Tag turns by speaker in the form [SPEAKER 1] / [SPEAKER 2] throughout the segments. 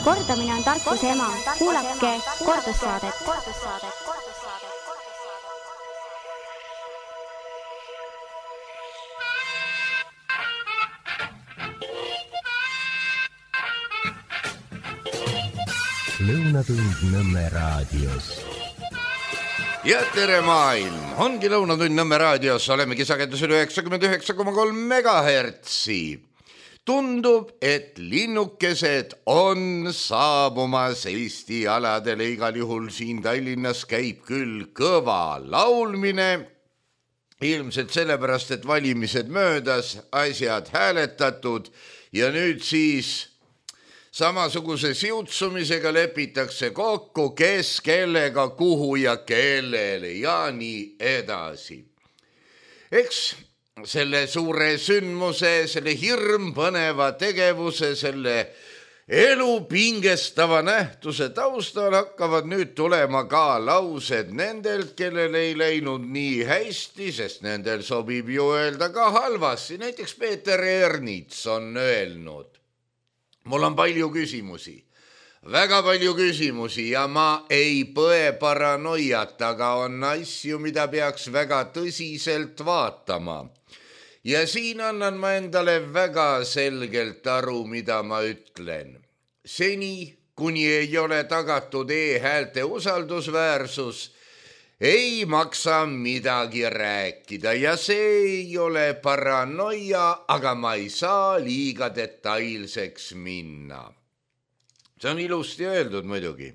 [SPEAKER 1] Kordamine on tarkuse ema. Kuulake kordussaadet.
[SPEAKER 2] Lõunatund Nõmme raadios.
[SPEAKER 3] Ja tere maailm! Ongi Lõunatund Nõmme raadios, olemegi sagedusel 99,3 megahertsi. Tundub, et linnukesed on saabumas Eesti aladele, igal juhul siin Tallinnas käib küll kõva laulmine. Ilmselt sellepärast, et valimised möödas, asjad hääletatud ja nüüd siis samasuguse siutsumisega lepitakse kokku, kes kellega, kuhu ja kellele ja nii edasi. Eks selle suure sündmuse, selle hirmpõneva tegevuse, selle elu pingestava nähtuse taustal hakkavad nüüd tulema ka laused nendelt, kellel ei läinud nii hästi, sest nendel sobib ju öelda ka halvasti. Näiteks Peeter Ernits on öelnud: mul on palju küsimusi, väga palju küsimusi ja ma ei põe paranoiat, aga on asju, mida peaks väga tõsiselt vaatama. Ja siin annan ma endale väga selgelt aru, mida ma ütlen. Seni, kuni ei ole tagatud e-häälte usaldusväärsus, ei maksa midagi rääkida ja see ei ole paranoia, aga ma ei saa liiga detailseks minna. See on ilusti öeldud muidugi.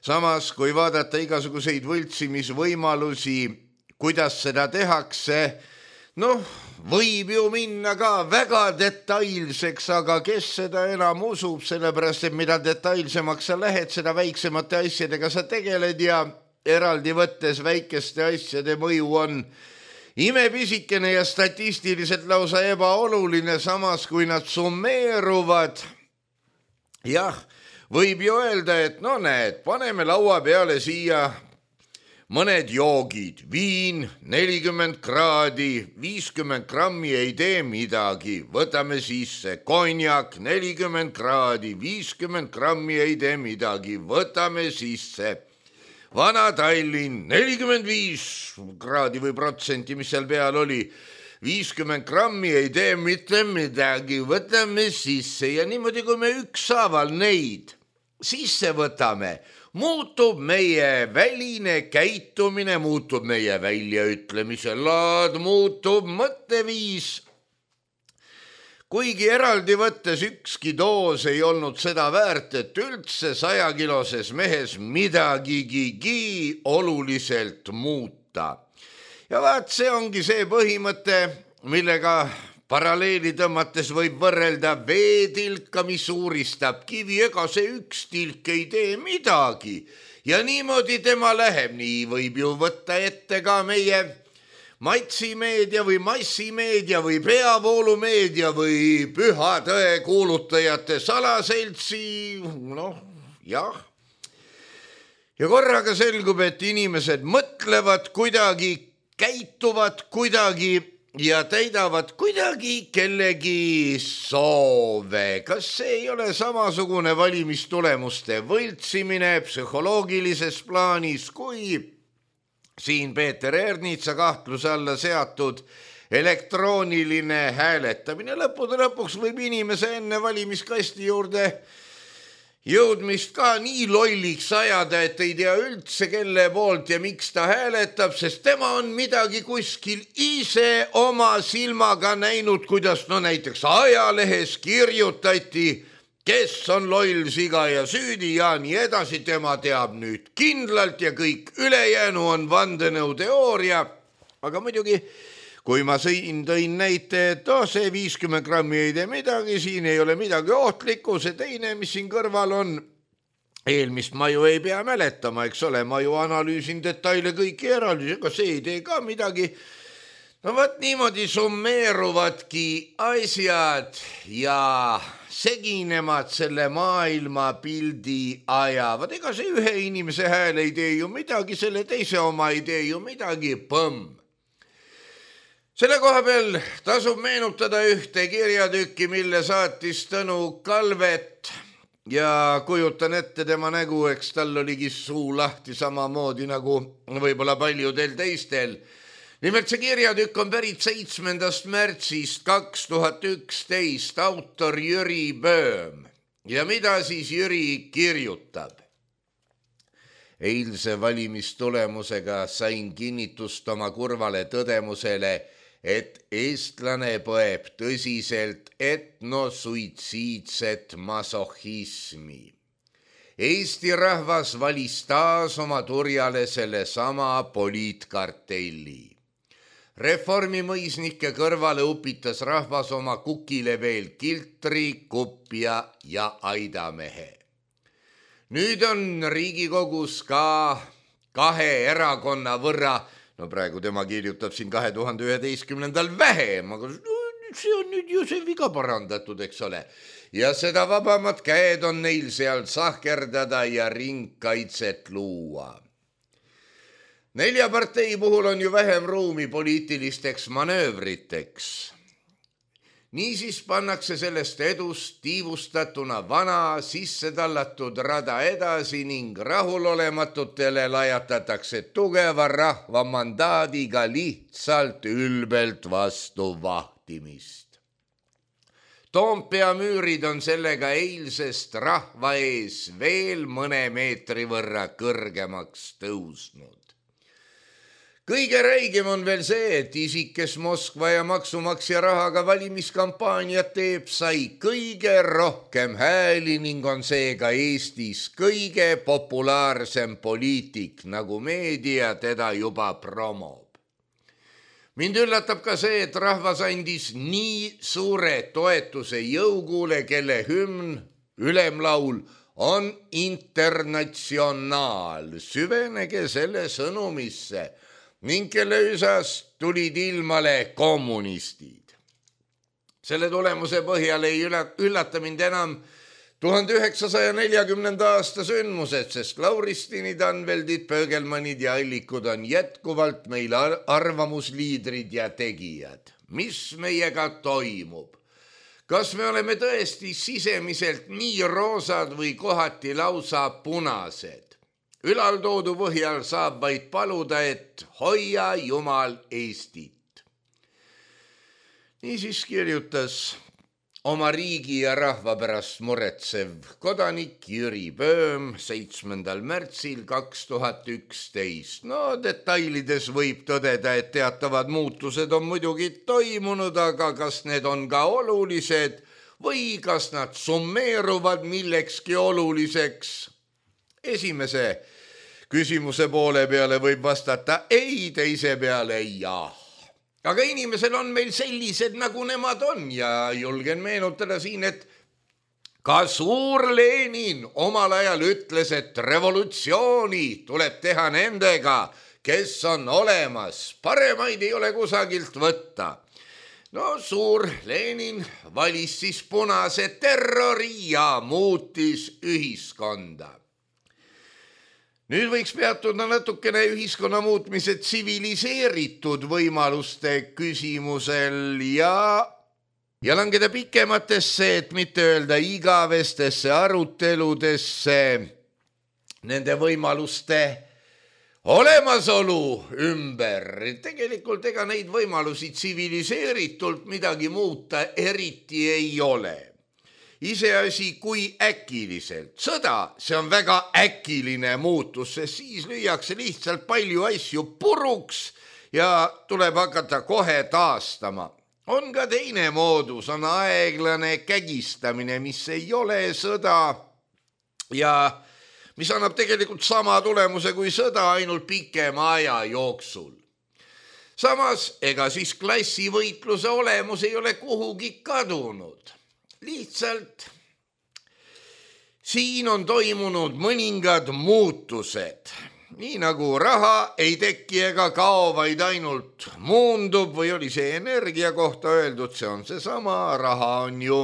[SPEAKER 3] Samas, kui vaadata igasuguseid võltsimisvõimalusi, kuidas seda tehakse, võib ju minna ka väga detailseks, aga kes seda enam usub, sellepärast, et mida detailsemaks sa lähed, seda väiksemate asjadega sa tegeled ja eraldi võttes väikeste asjade mõju on imepisikene ja statistiliselt lausa ebaoluline, samas kui nad summeeruvad. Jah, võib ju öelda, et näed, paneme laua peale siia mõned joogid, viin 40 kraadi, 50 grammi ei tee midagi, võtame sisse konjak 40 kraadi, 50 grammi ei tee midagi, võtame sisse Vana Tallinn 45 kraadi või protsenti, mis seal peal oli, 50 grammi ei tee mitte midagi, võtame sisse ja niimoodi, kui me ükshaaval neid sisse võtame, muutub meie väline käitumine, muutub meie väljaütlemise laad, muutub mõtteviis. Kuigi eraldi võttes ükski doos ei olnud seda väärt, et üldse 100-kiloses mehes midagigi oluliselt muuta. Ja vaat see ongi see põhimõte, millega paralleeli tõmmates võib võrrelda veetilka, mis uuristab kivi, ega see üks tilk ei tee midagi. Ja niimoodi tema läheb, nii võib ju võtta ette ka meie matsimeedia või massimeedia või peavoolumeedia või püha tõe kuulutajate salaseltsi, jah. Ja korraga selgub, et inimesed mõtlevad kuidagi, käituvad kuidagi ja täidavad kuidagi kellegi soove. Kas see ei ole samasugune valimistulemuste võltsimine psühholoogilises plaanis, kui siin Peeter Ernitsa kahtluse alla seatud elektrooniline hääletamine? Lõppude lõpuks võib inimese enne valimiskasti juurde jõudmist ka nii lolliks ajada, et ei tea üldse kelle poolt ja miks ta hääletab, sest tema on midagi kuskil ise oma silmaga näinud, kuidas näiteks ajalehes kirjutati, kes on loll, siga ja süüdi ja nii edasi, tema teab nüüd kindlalt ja kõik ülejäänu on vandenõuteooria. Aga muidugi, kui ma tõin näite, et see 50 grammi ei tee midagi, siin ei ole midagi ohtlikku, see teine, mis siin kõrval on, eelmist ma ju ei pea mäletama, eks ole, ma ju analüüsin detaile kõiki eraldi, ega see ei tee ka midagi. Vaat niimoodi summeeruvadki asjad ja seginemad selle maailmapildi ajavad. Ega see ühe inimese hääl ei tee ju midagi, selle teise oma ei tee ju midagi, põmm. Selle koha peal tasub meenutada ühte kirjatükki, mille saatis Tõnu Kalvet ja kujutan ette tema nägu, eks tal oligi suu lahti samamoodi nagu võib-olla paljudel teistel. Nimelt see kirjatükk on pärit 7. märtsist 2011, autor Jüri Böhm. Ja mida siis Jüri kirjutab? Eilse valimistulemusega sain kinnitust oma kurvale tõdemusele, et eestlane põeb tõsiselt etnosuitsiidset masohhismi. Eesti rahvas valis taas oma turjale selle sama poliitkartelli. Reformimõisnike kõrvale upitas rahvas oma kukile veel kiltri, kupja ja aidamehe. Nüüd on Riigikogus ka 2 erakonna võrra, no praegu tema kirjutab siin 2011. vähem, aga see on nüüd ju see viga parandatud, eks ole. Ja seda vabamad käed on neil seal sahkerdada ja ringkaitset luua. 4 partei puhul on ju vähem ruumi poliitilisteks manöövriteks. Niisiis pannakse sellest edust tiivustatuna vana sisse tallatud rada edasi ning rahulolematutele lajatatakse tugeva rahva mandaadiga lihtsalt ülbelt vastu vahtimist. Toompea müürid on sellega eilsest rahva ees veel mõne meetri võrra kõrgemaks tõusnud. Kõige räigem on veel see, et isik, kes Moskva ja maksumaksja rahaga valimiskampaaniat teeb, sai kõige rohkem hääli ning on seega Eestis kõige populaarsem poliitik, nagu meedia teda juba promob. Mind üllatab ka see, et rahvas andis nii suure toetuse jõugule, kelle hümn, ülemlaul, on internatsionaal. Süvenege selle sõnumisse ning kelle üsast tulid ilmale kommunistid. Selle tulemuse põhjal ei üllata mind enam 1940. aasta sündmused, sest Lauristinid, Anveldid, Pöögelmannid ja Allikud on jätkuvalt meil arvamusliidrid ja tegijad. Mis meiega toimub? Kas me oleme tõesti sisemiselt nii roosad või kohati lausa punased? Ülaltoodu põhjal saab vaid paluda, et hoia Jumal Eestit. Niisiis kirjutas oma riigi ja rahva pärast muretsev kodanik Jüri Böhm 7. märtsil 2011. No detailides võib tõdeda, et teatavad muutused on muidugi toimunud, aga kas need on ka olulised või kas nad summeeruvad millekski oluliseks? Esimese küsimuse poole peale võib vastata ei, teise peale jah. Aga inimesel on meil sellised, nagu nemad on ja julgen meenutada siin, et ka suur Lenin omal ajal ütles, et revolutsiooni tuleb teha nendega, kes on olemas. Paremaid ei ole kusagilt võtta. No suur Lenin valis siis punase terrori ja muutis ühiskonda. Nüüd võiks peatuda natukene ühiskonna muutmise tsiviliseeritud võimaluste küsimusel ja langeda pikematesse, et mitte öelda igavestesse aruteludesse nende võimaluste olemasolu ümber. Tegelikult ega neid võimalusi tsiviliseeritult midagi muuta eriti ei ole. Iseasi kui äkiliselt. Sõda, see on väga äkiline muutus, sest siis lüüakse lihtsalt palju asju puruks ja tuleb hakata kohe taastama. On ka teine moodus, on aeglane kägistamine, mis ei ole sõda ja mis annab tegelikult sama tulemuse kui sõda, ainult pikema aja jooksul. Samas, ega siis klassivõitluse olemus ei ole kuhugi kadunud. Lihtsalt siin on toimunud mõningad muutused. Nii nagu raha ei teki ega kao, vaid ainult muundub või oli see energia kohta öeldud, see on seesama. Raha on ju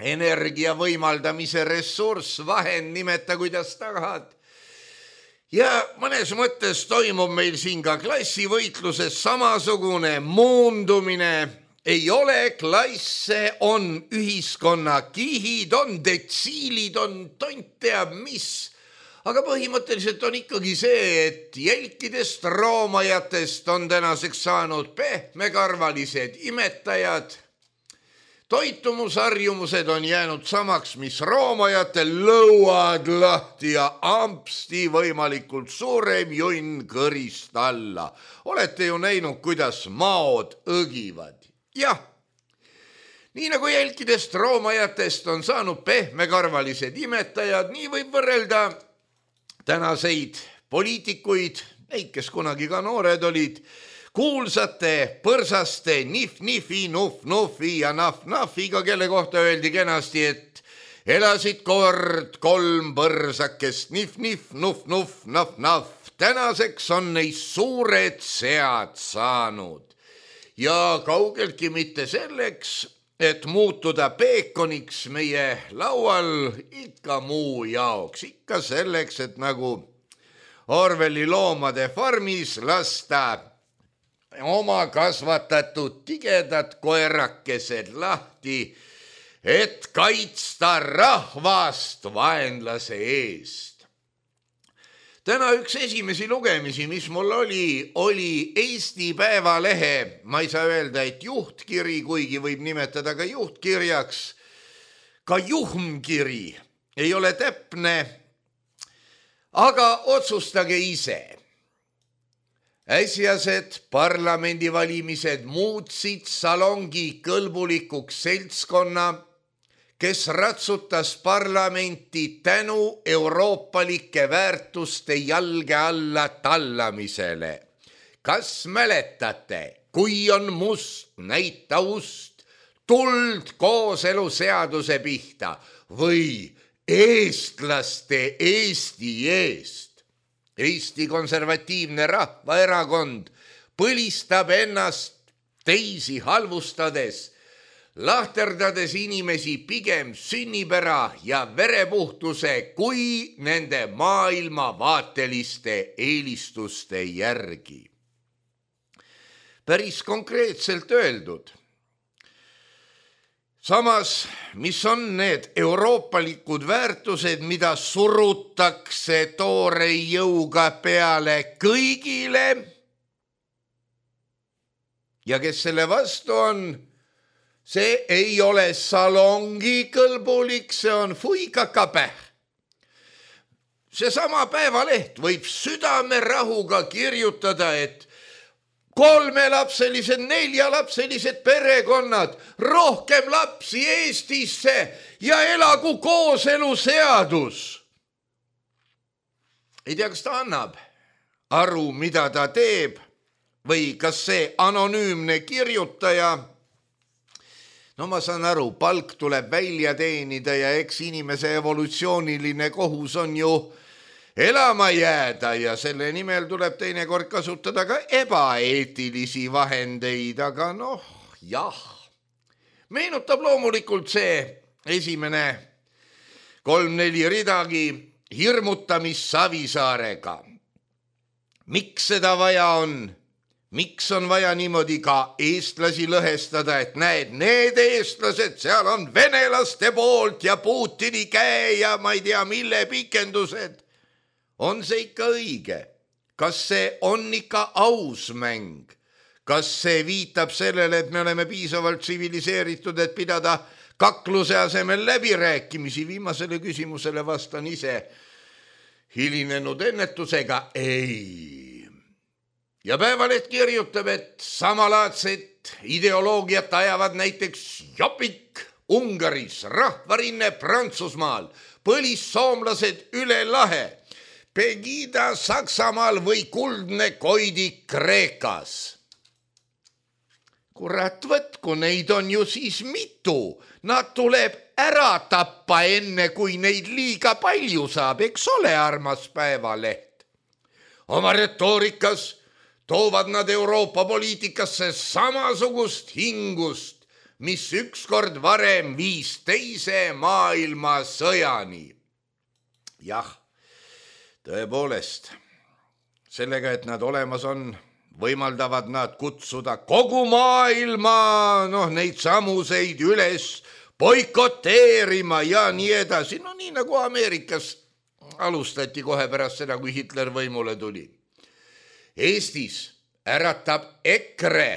[SPEAKER 3] energia võimaldamise ressurss, vahend, nimeta kuidas tahad. Ja mõnes mõttes toimub meil siin ka klassivõitluses samasugune muundumine. ei ole klasse, on ühiskonna kihid, on detsiilid, on tont teab mis. Aga põhimõtteliselt on ikkagi see, et jälkidest roomajatest on tänaseks saanud pehmekarvalised imetajad. Toitumusharjumused on jäänud samaks, mis roomajatel, lõuad lahti ja ampsti võimalikult suurem junn kõrist alla. Olete ju näinud, kuidas maod õgivad. Jah, nii nagu jälkidest roomajatest on saanud pehmekarvalised imetajad, nii võib võrrelda tänaseid poliitikuid, neid, kes kunagi ka noored olid, kuulsate põrsaste nif-nifi, nuf-nufi ja naf-nafiga, kelle kohta öeldi kenasti, et elasid kord 3 põrsakest nif-nif, nuf-nuf, naf-naf. Tänaseks on neist suured sead saanud ja kaugeltki mitte selleks, et muutuda peekoniks meie laual, ikka muu jaoks, ikka selleks, et nagu Orwelli loomade farmis lasta oma kasvatatud tigedad koerakesed lahti, et kaitsta rahvast vaenlase eest. Täna üks esimesi lugemisi, mis mul oli Eesti Päevalehe, ma ei saa öelda, et juhtkiri, kuigi võib nimetada ka juhtkirjaks, ka juhmkiri ei ole täpne, aga otsustage ise. Äsjased parlamendivalimised muutsid salongi kõlbulikuks seltskonna, kes ratsutas parlamenti tänu euroopalike väärtuste jalge alla tallamisele. Kas mäletate, kui on must, näita ust, tuld kooseluseaduse pihta või eestlaste Eesti eest? Eesti Konservatiivne Rahvaerakond põlistab ennast teisi halvustades, lahterdades inimesi pigem sünnipära ja verepuhtuse kui nende maailmavaateliste eelistuste järgi. Päris konkreetselt öeldud. Samas, mis on need euroopalikud väärtused, mida surutakse toore jõuga peale kõigile ja kes selle vastu on? See ei ole salongi kõlbulik, see on fuikakapäh. Seesama Päevaleht võib südamerahuga kirjutada, et 3-lapselised, 4-lapselised perekonnad, rohkem lapsi Eestisse ja elagu kooseluseadus. Ei tea, kas ta annab aru, mida ta teeb või kas see anonüümne kirjutaja. No ma saan aru, palk tuleb välja teenida ja eks inimese evolutsiooniline kohus on ju elama jääda ja selle nimel tuleb teinekord kasutada ka ebaeetilisi vahendeid, aga noh, jah. Meenutab loomulikult see esimene 3-4 ridagi hirmutamist Savisaarega. Miks seda vaja on? Miks on vaja niimoodi ka eestlasi lõhestada, et näed, need eestlased, seal on venelaste poolt ja Putini käe ja ma ei tea, mille pikendused. On see ikka õige? Kas see on ikka aus mäng? Kas see viitab sellele, et me oleme piisavalt tsiviliseeritud, et pidada kakluse asemel läbirääkimisi? Viimasele küsimusele vastan ise hilinenud ennetusega ei. Ja Päevaleht kirjutab, et samalaadset ideoloogiat ajavad näiteks Jopik Ungaris, Rahvarinne Prantsusmaal, põlissoomlased üle lahe, Pegida Saksamaal või Kuldne Koidik Kreekas. Kurat, võtku, neid on ju siis mitu. Nad tuleb ära tappa enne, kui neid liiga palju saab, eks ole, armas Päevaleht. Oma retoorikas toovad nad Euroopa poliitikasse samasugust hingust, mis ükskord varem viis teise maailmasõjani. Jah, tõepoolest, sellega, et nad olemas on, võimaldavad nad kutsuda kogu maailma, neid samuseid üles boikoteerima ja nii edasi. Nii nagu Ameerikas alustati kohe pärast seda, kui Hitler võimule tuli. Eestis äratab EKRE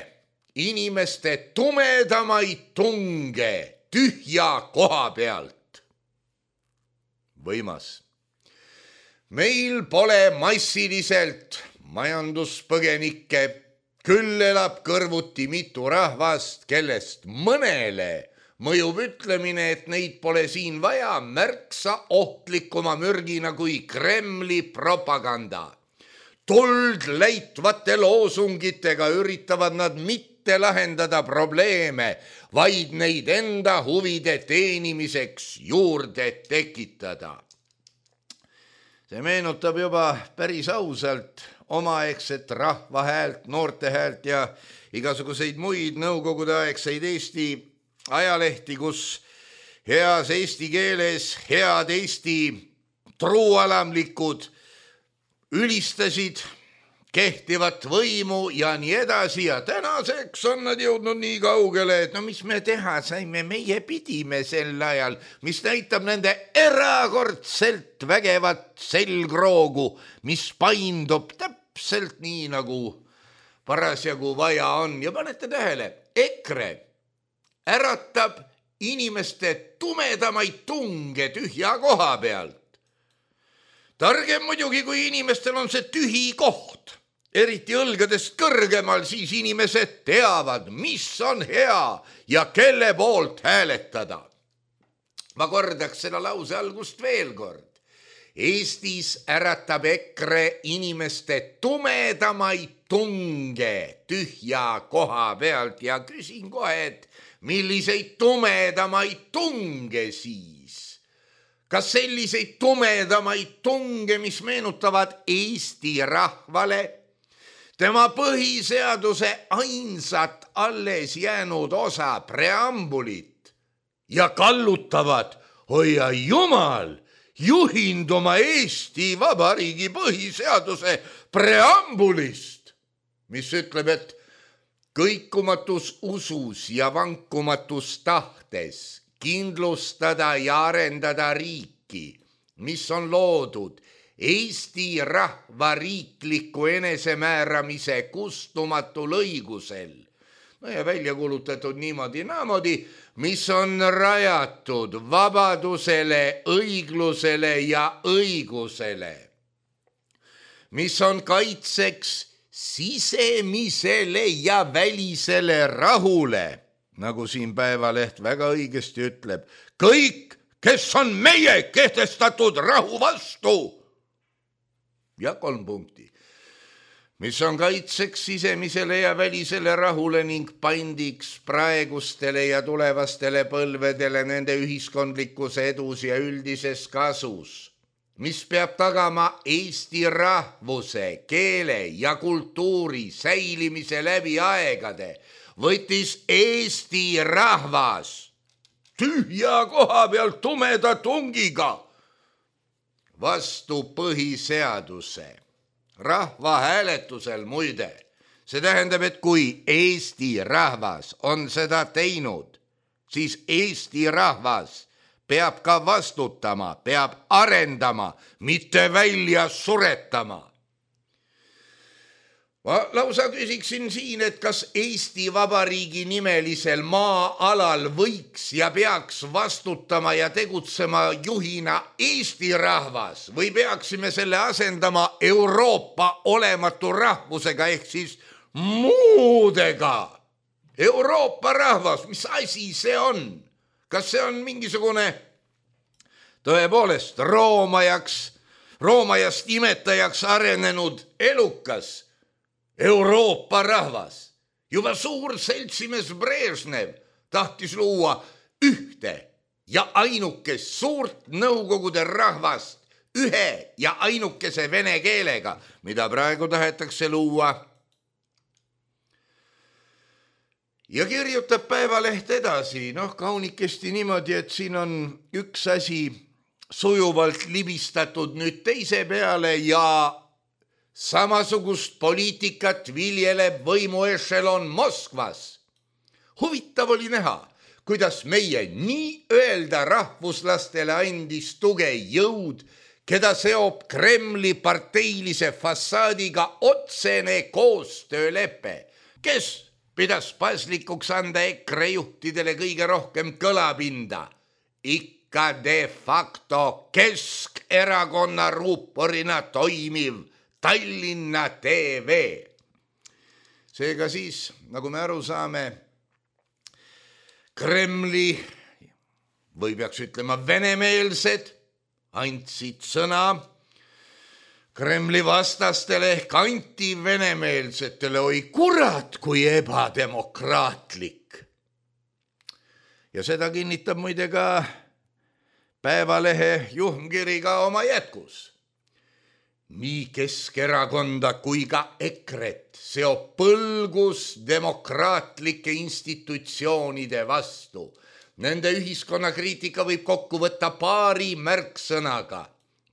[SPEAKER 3] inimeste tumedamaid tunge tühja koha pealt. Võimas. Meil pole massiliselt majanduspõgenikke, küll elab kõrvuti mitu rahvast, kellest mõnele mõjub ütlemine, et neid pole siin vaja, märksa ohtlikuma mürgina kui Kremli propaganda. Tuld läitvate loosungitega üritavad nad mitte lahendada probleeme, vaid neid enda huvide teenimiseks juurde tekitada. See meenutab juba päris ausalt omaegset rahva häält, noorte häält ja igasuguseid muid nõukogudeaegseid Eesti ajalehti, kus heas eesti keeles head Eesti truualamlikud ülistasid kehtivat võimu ja nii edasi ja tänaseks on nad jõudnud nii kaugele, et mis me teha saime, meie pidime sel ajal, mis näitab nende erakordselt vägevat selgroogu, mis paindub täpselt nii, nagu parasjagu vaja on. Ja panete tähele, EKRE äratab inimeste tumedamaid tunge tühja koha pealt. Targem muidugi, kui inimestel on see tühi koht, eriti õlgadest kõrgemal, siis inimesed teavad, mis on hea ja kelle poolt hääletada. Ma kordaks seda lause algust veel kord. Eestis äratab EKRE inimeste tumedamaid tunge tühja koha pealt ja küsin kohe, et milliseid tumedamaid tunge siis? Kas selliseid tumedamaid tunge, mis meenutavad Eesti rahvale tema põhiseaduse ainsat alles jäänud osa preambulit ja kallutavad, hoia jumal, juhinduma Eesti Vabariigi põhiseaduse preambulist, mis ütleb, et kõikumatus usus ja vankumatus tahtes kindlustada ja arendada riiki, mis on loodud Eesti rahva riikliku enesemääramise kustumatul õigusel ja välja kuulutatud niimoodi, mis on rajatud vabadusele, õiglusele ja õigusele, mis on kaitseks sisemisele ja välisele rahule, nagu siin Päevaleht väga õigesti ütleb, kõik, kes on meie kehtestatud rahu vastu. Ja 3 punkti, mis on kaitseks sisemisele ja välisele rahule ning pandiks praegustele ja tulevastele põlvedele nende ühiskondlikus edus ja üldises kasus, mis peab tagama Eesti rahvuse, keele ja kultuuri säilimise läbi aegade, võttis Eesti rahvas tühja koha pealt tumeda tungiga vastu põhiseaduse rahvahääletusel muide. See tähendab, et kui Eesti rahvas on seda teinud, siis Eesti rahvas peab ka vastutama, peab arendama, mitte välja suretama. Ma lausa küsiksin siin, et kas Eesti Vabariigi nimelisel maa-alal võiks ja peaks vastutama ja tegutsema juhina Eesti rahvas või peaksime selle asendama Euroopa olematu rahvusega ehk siis muudega. Euroopa rahvas, mis asi see on? Kas see on mingisugune tõepoolest roomajast imetajaks arenenud elukas Euroopa rahvas? Juba suur seltsimees Brežnev tahtis luua ühte ja ainukest suurt Nõukogude rahvast ühe ja ainukese vene keelega, mida praegu tahetakse luua. Ja kirjutab Päevaleht edasi, kaunikesti niimoodi, et siin on üks asi sujuvalt libistatud nüüd teise peale ja samasugust poliitikat viljeleb võimuešelon Moskvas. Huvitav oli näha, kuidas meie nii-öelda rahvuslastele andis tuge jõud, keda seob Kremli parteilise fassaadiga otsene koostöölepe, kes pidas paslikuks anda EKRE juhtidele kõige rohkem kõlapinda. Ikka de facto Keskerakonna ruuporina toimiv Tallinna TV. Seega siis, nagu me aru saame, Kremli või peaks ütlema venemeelsed andsid sõna Kremli vastastele ehk antivenemeelsetele. Oi kurat, kui ebademokraatlik. Ja seda kinnitab muide ka Päevalehe juhtkiri ka oma jätkus. Nii Keskerakonda kui ka EKRE-t seob põlgus demokraatlike institutsioonide vastu. Nende ühiskonnakriitika võib kokku võtta paari märksõnaga.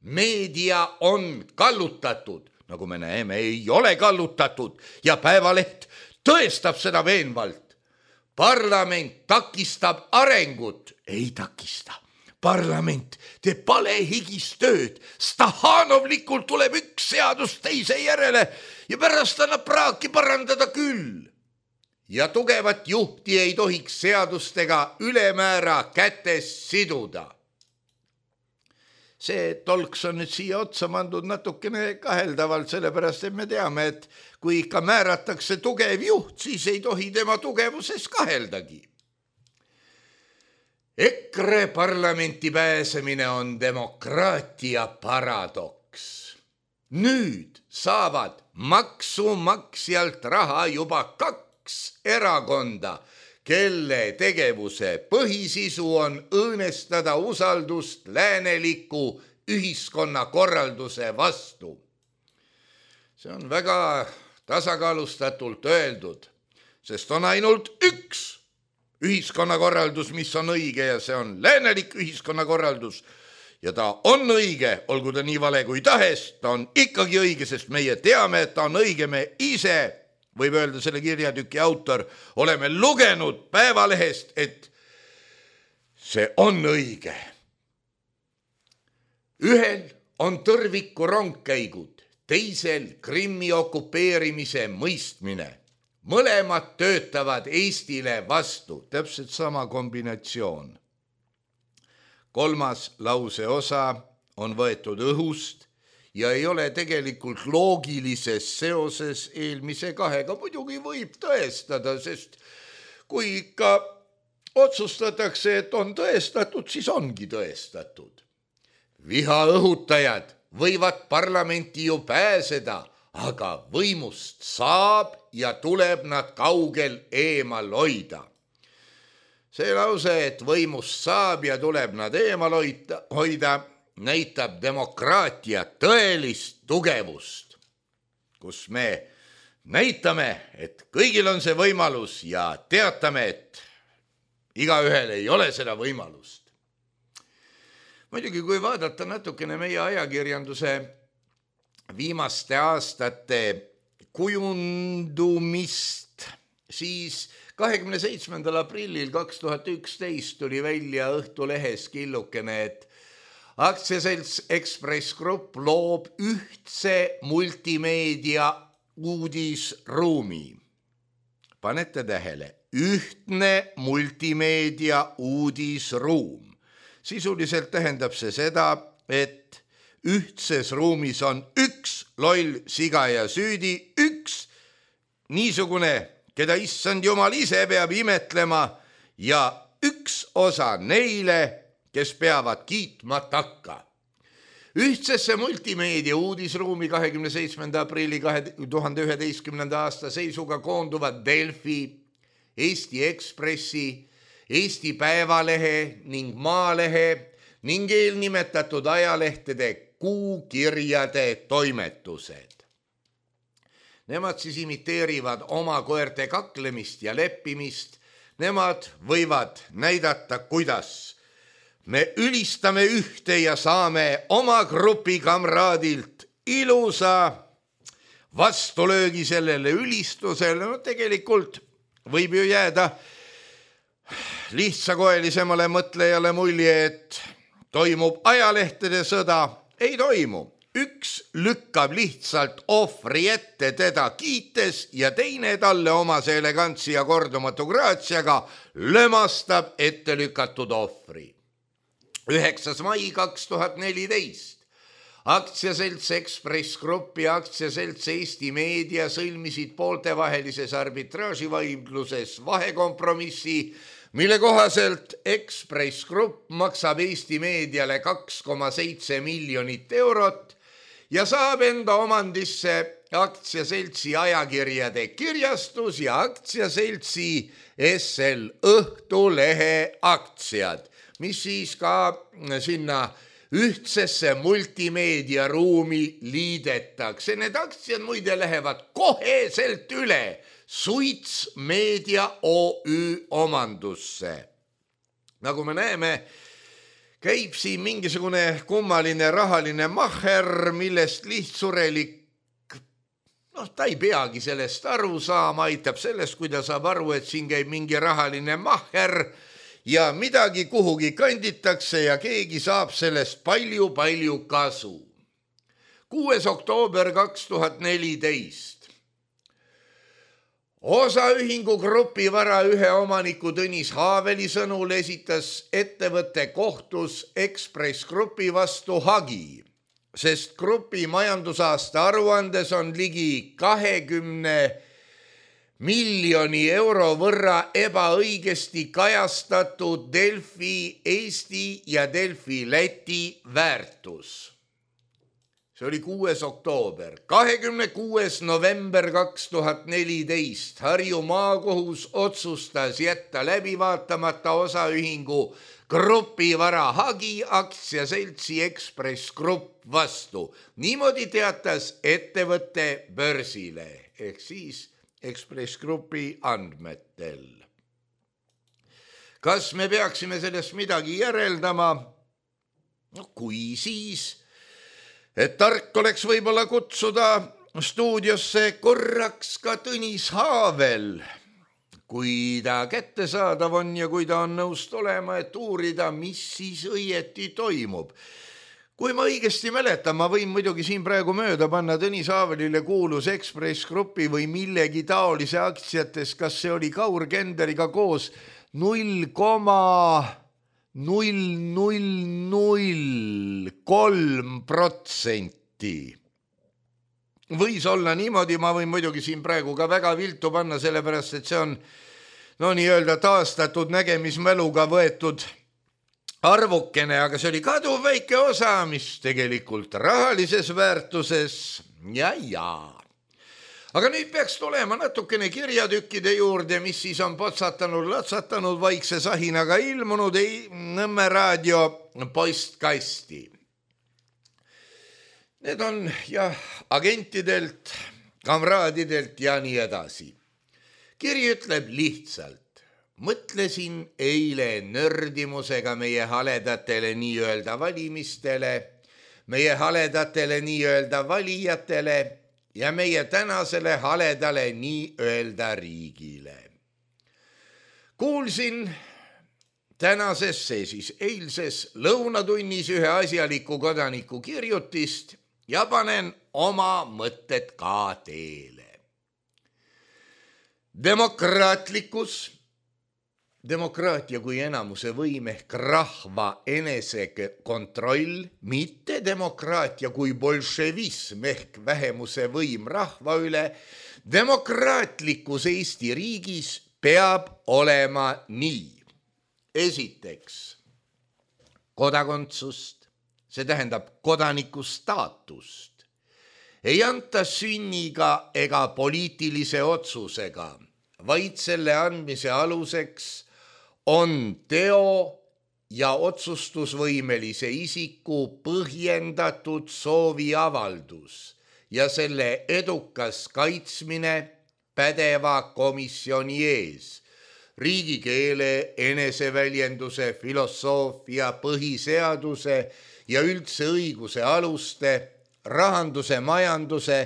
[SPEAKER 3] Meedia on kallutatud, nagu me näeme, ei ole kallutatud ja Päevaleht tõestab seda veenvalt. Parlament takistab arengut, ei takista. Parlament teeb palehigist tööd, stahanovlikult tuleb üks seadus teise järele ja pärast annab praaki parandada küll. Ja tugevat juhti ei tohiks seadustega ülemäära kätes siduda. See tolks on nüüd siia otsa mandud natukene kaheldavalt, sellepärast et me teame, et kui ikka määratakse tugev juht, siis ei tohi tema tugevuses kaheldagi. EKRE parlamenti pääsemine on demokraatia paradoks. Nüüd saavad maksumaksjalt raha juba 2 erakonda, kelle tegevuse põhisisu on õõnestada usaldust lääneliku ühiskonnakorralduse vastu. See on väga tasakaalustatult öeldud, sest on ainult üks ühiskonnakorraldus, mis on õige ja see on läänelik ühiskonnakorraldus. Ja ta on õige, olgu ta nii vale kui tahes, ta on ikkagi õige, sest meie teame, et ta on õige, me ise, võib öelda selle kirjatüki autor, oleme lugenud Päevalehest, et see on õige. Ühel on tõrviku rongkäigud, teisel Krimmi okupeerimise mõistmine. Mõlemad töötavad Eestile vastu, täpselt sama kombinatsioon. 3. lause osa on võetud õhust ja ei ole tegelikult loogilises seoses eelmise 2. Muidugi võib tõestada, sest kui ikka otsustatakse, et on tõestatud, siis ongi tõestatud. Viha õhutajad võivad parlamenti ju pääseda, aga võimust saab ja tuleb nad kaugel eemal hoida. See lause, et võimust saab ja tuleb nad eemal hoida, näitab demokraatia tõelist tugevust, kus me näitame, et kõigil on see võimalus ja teatame, et igaühel ei ole seda võimalust. Muidugi, kui vaadata natukene meie ajakirjanduse viimaste aastate kujundumist, siis 27. aprillil 2011 tuli välja Õhtulehes killukene, et aktsiaselts Ekspress Grupp loob ühtse multimeedia uudisruumi. Panete tähele, ühtne multimeedia uudisruum. Sisuliselt tähendab see seda, et ühtses ruumis on üks loll siga ja süüdi, üks niisugune, keda issand jumal ise peab imetlema ja üks osa neile, kes peavad kiitma takka. Ühtsesse multimeedia uudisruumi 27. aprilli 2011. aasta seisuga koonduvad Delfi, Eesti Ekspressi, Eesti Päevalehe ning Maalehe ning eelnimetatud ajalehtede kuukirjade toimetused. Nemad siis imiteerivad oma koerte kaklemist ja leppimist. Nemad võivad näidata, kuidas me ülistame ühte ja saame oma grupi kamraadilt ilusa vastulöögi sellele ülistusele, no tegelikult võib ju jääda lihtsakoelisemale mõtlejale mulje, et toimub ajalehtede sõda. Ei toimu. Üks lükkab lihtsalt ohvri ette teda kiites ja teine talle omase elegantsi ja kordumatu graatsiaga lömastab ette lükatud ohvri. 9. mai 2014. Aktsiaselts Ekspress Grupp ja aktsiaselts Eesti Meedia sõlmisid pooltevahelises arbitraaživaidluses vahekompromissi, mille kohaselt Ekspress Grupp maksab Eesti Meediale 2,7 miljonit eurot ja saab enda omandisse aktsiaseltsi ajakirjade kirjastus ja aktsiaseltsi SL Õhtulehe aktsiad, mis siis ka sinna ühtsesse multimeediaruumi liidetakse. Need aktsiad muide lähevad koheselt üle Suits Meedia OÜ omandusse. Nagu me näeme, käib siin mingisugune kummaline rahaline mahher, millest lihtsurelik, ta ei peagi sellest aru saama, aitab sellest, kui ta saab aru, et siin käib mingi rahaline mahher ja midagi kuhugi kanditakse ja keegi saab sellest palju kasu. 6. oktoober 2014. Osaühingu Grupi Vara ühe omaniku Tõnis Haaveli sõnul esitas ettevõtte kohtus Ekspress Grupi vastu hagi, sest grupi majandusaasta aruandes on ligi 20 miljoni euro võrra ebaõigesti kajastatud Delfi Eesti ja Delfi Läti väärtus. See oli 6. oktoober. 26. november 2014 Harju maakohus otsustas jätta läbi vaatamata osaühingu Grupi Vara hagi aktsiaseltsi Ekspress Grupp vastu. Niimoodi teatas ettevõtte börsile ehk siis Ekspress Grupi andmetel. Kas me peaksime sellest midagi järeldama? No kui siis, et tark oleks võib-olla kutsuda stuudiosse korraks ka Tõnis Haavel, kui ta kättesaadav on ja kui ta on nõust olema, et uurida, mis siis õieti toimub. Kui ma õigesti mäletan, ma võin muidugi siin praegu mööda panna Tõnis Haavelile kuulus Ekspress Grupi või millegi taolise aktsiates, kas see oli Kaur Kenderiga koos 0,0003%. Võis olla niimoodi, ma võin muidugi siin praegu ka väga viltu panna, sellepärast et see on nii-öelda taastatud nägemismäluga võetud arvukene, aga see oli kaduv väike osa, mis tegelikult rahalises väärtuses ja. Aga nüüd peaks tulema natukene kirjatükkide juurde, mis siis on latsatanud vaikse sahinaga ilmunud Nõmme raadio postkasti. Need on agentidelt, kamraadidelt ja nii edasi. Kiri ütleb lihtsalt. Mõtlesin eile nördimusega meie haledatele nii-öelda valimistele, meie haledatele nii-öelda valijatele ja meie tänasele haledale nii-öelda riigile. Kuulsin tänases, siis eilses lõunatunnis ühe asjaliku kodaniku kirjutist ja panen oma mõtted ka teele. Demokraatia kui enamuse võim ehk rahva enesekontroll, mitte demokraatia kui bolševism ehk vähemuse võim rahva üle, demokraatlikus Eesti riigis peab olema nii. Esiteks, kodakondsust, see tähendab kodaniku staatust, ei anta sünniga ega poliitilise otsusega, vaid selle andmise aluseks on teo ja otsustusvõimelise isiku põhjendatud sooviavaldus ja selle edukas kaitsmine pädeva komisjoni ees, riigikeele, eneseväljenduse, filosoofia, põhiseaduse ja üldse õiguse aluste, rahanduse, majanduse,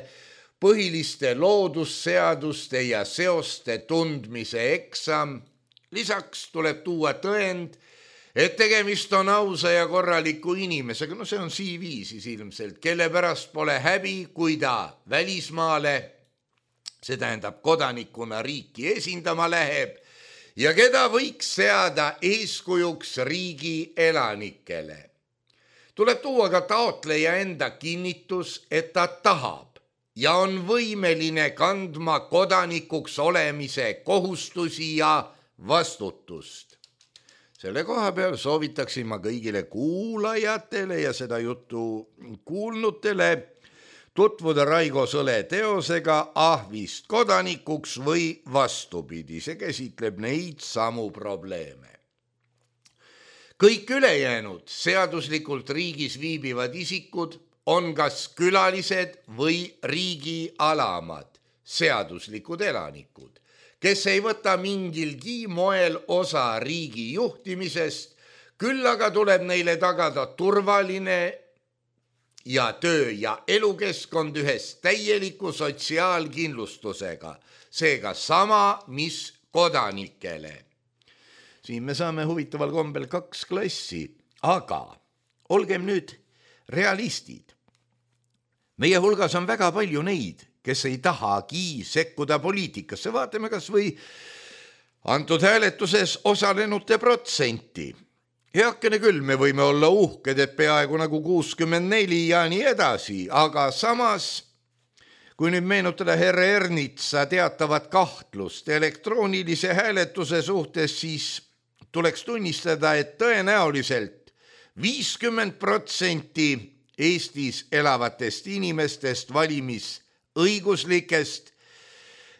[SPEAKER 3] põhiliste loodusseaduste ja seoste tundmise eksam. Lisaks tuleb tuua tõend, et tegemist on ausa ja korraliku inimesega, no see on CV siis ilmselt, kelle pärast pole häbi, kui ta välismaale, see tähendab kodanikuna riiki esindama läheb ja keda võiks seada eeskujuks riigi elanikele. Tuleb tuua ka taotleja enda kinnitus, et ta tahab ja on võimeline kandma kodanikuks olemise kohustusi ja vastutust. Selle koha peal soovitaksin ma kõigile kuulajatele ja seda juttu kuulnutele tutvuda Raigo Sõle teosega Ahvist kodanikuks või vastupidi, see käsitleb neid samu probleeme. Kõik ülejäänud seaduslikult riigis viibivad isikud on kas külalised või riigi alamad, seaduslikud elanikud, kes ei võta mingilgi moel osa riigi juhtimisest, küll aga tuleb neile tagada turvaline ja töö- ja elukeskkond ühes täieliku sotsiaalkindlustusega, seega sama, mis kodanikele. Siin me saame huvitaval kombel 2 klassi, aga olgem nüüd realistid. Meie hulgas on väga palju neid, kes ei tahagi sekkuda poliitikasse. Vaatame kas või antud hääletuses osalenute protsenti. Heakene küll, me võime olla uhked, et peaaegu nagu 64 ja nii edasi, aga samas, kui nüüd meenutada härra Ernitsa teatavat kahtlust elektroonilise hääletuse suhtes, siis tuleks tunnistada, et tõenäoliselt 50% Eestis elavatest inimestest valimisõiguslikest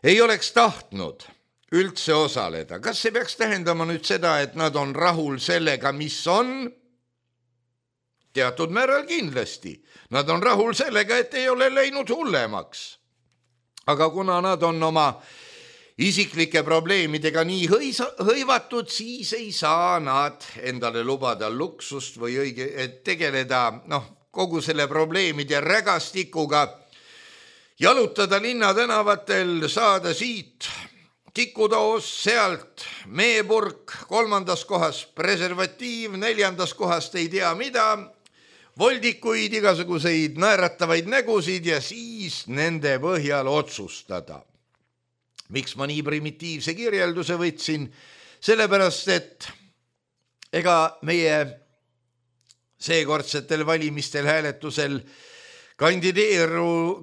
[SPEAKER 3] ei oleks tahtnud üldse osaleda. Kas see peaks tähendama nüüd seda, et nad on rahul sellega, mis on? Teatud määral kindlasti. Nad on rahul sellega, et ei ole läinud hullemaks. Aga kuna nad on oma isiklike probleemidega nii hõivatud, siis ei saa nad endale lubada luksust või tegeleda kogu selle probleemide rägastikuga, jalutada linnatänavatel, saada siit tikutoos, sealt meepurk, 3. kohas preservatiiv, 4. kohast ei tea mida, voldikuid, igasuguseid naeratavaid nägusid ja siis nende põhjal otsustada. Miks ma nii primitiivse kirjelduse võtsin? Sellepärast, et ega meie seekordsetel valimistel hääletusel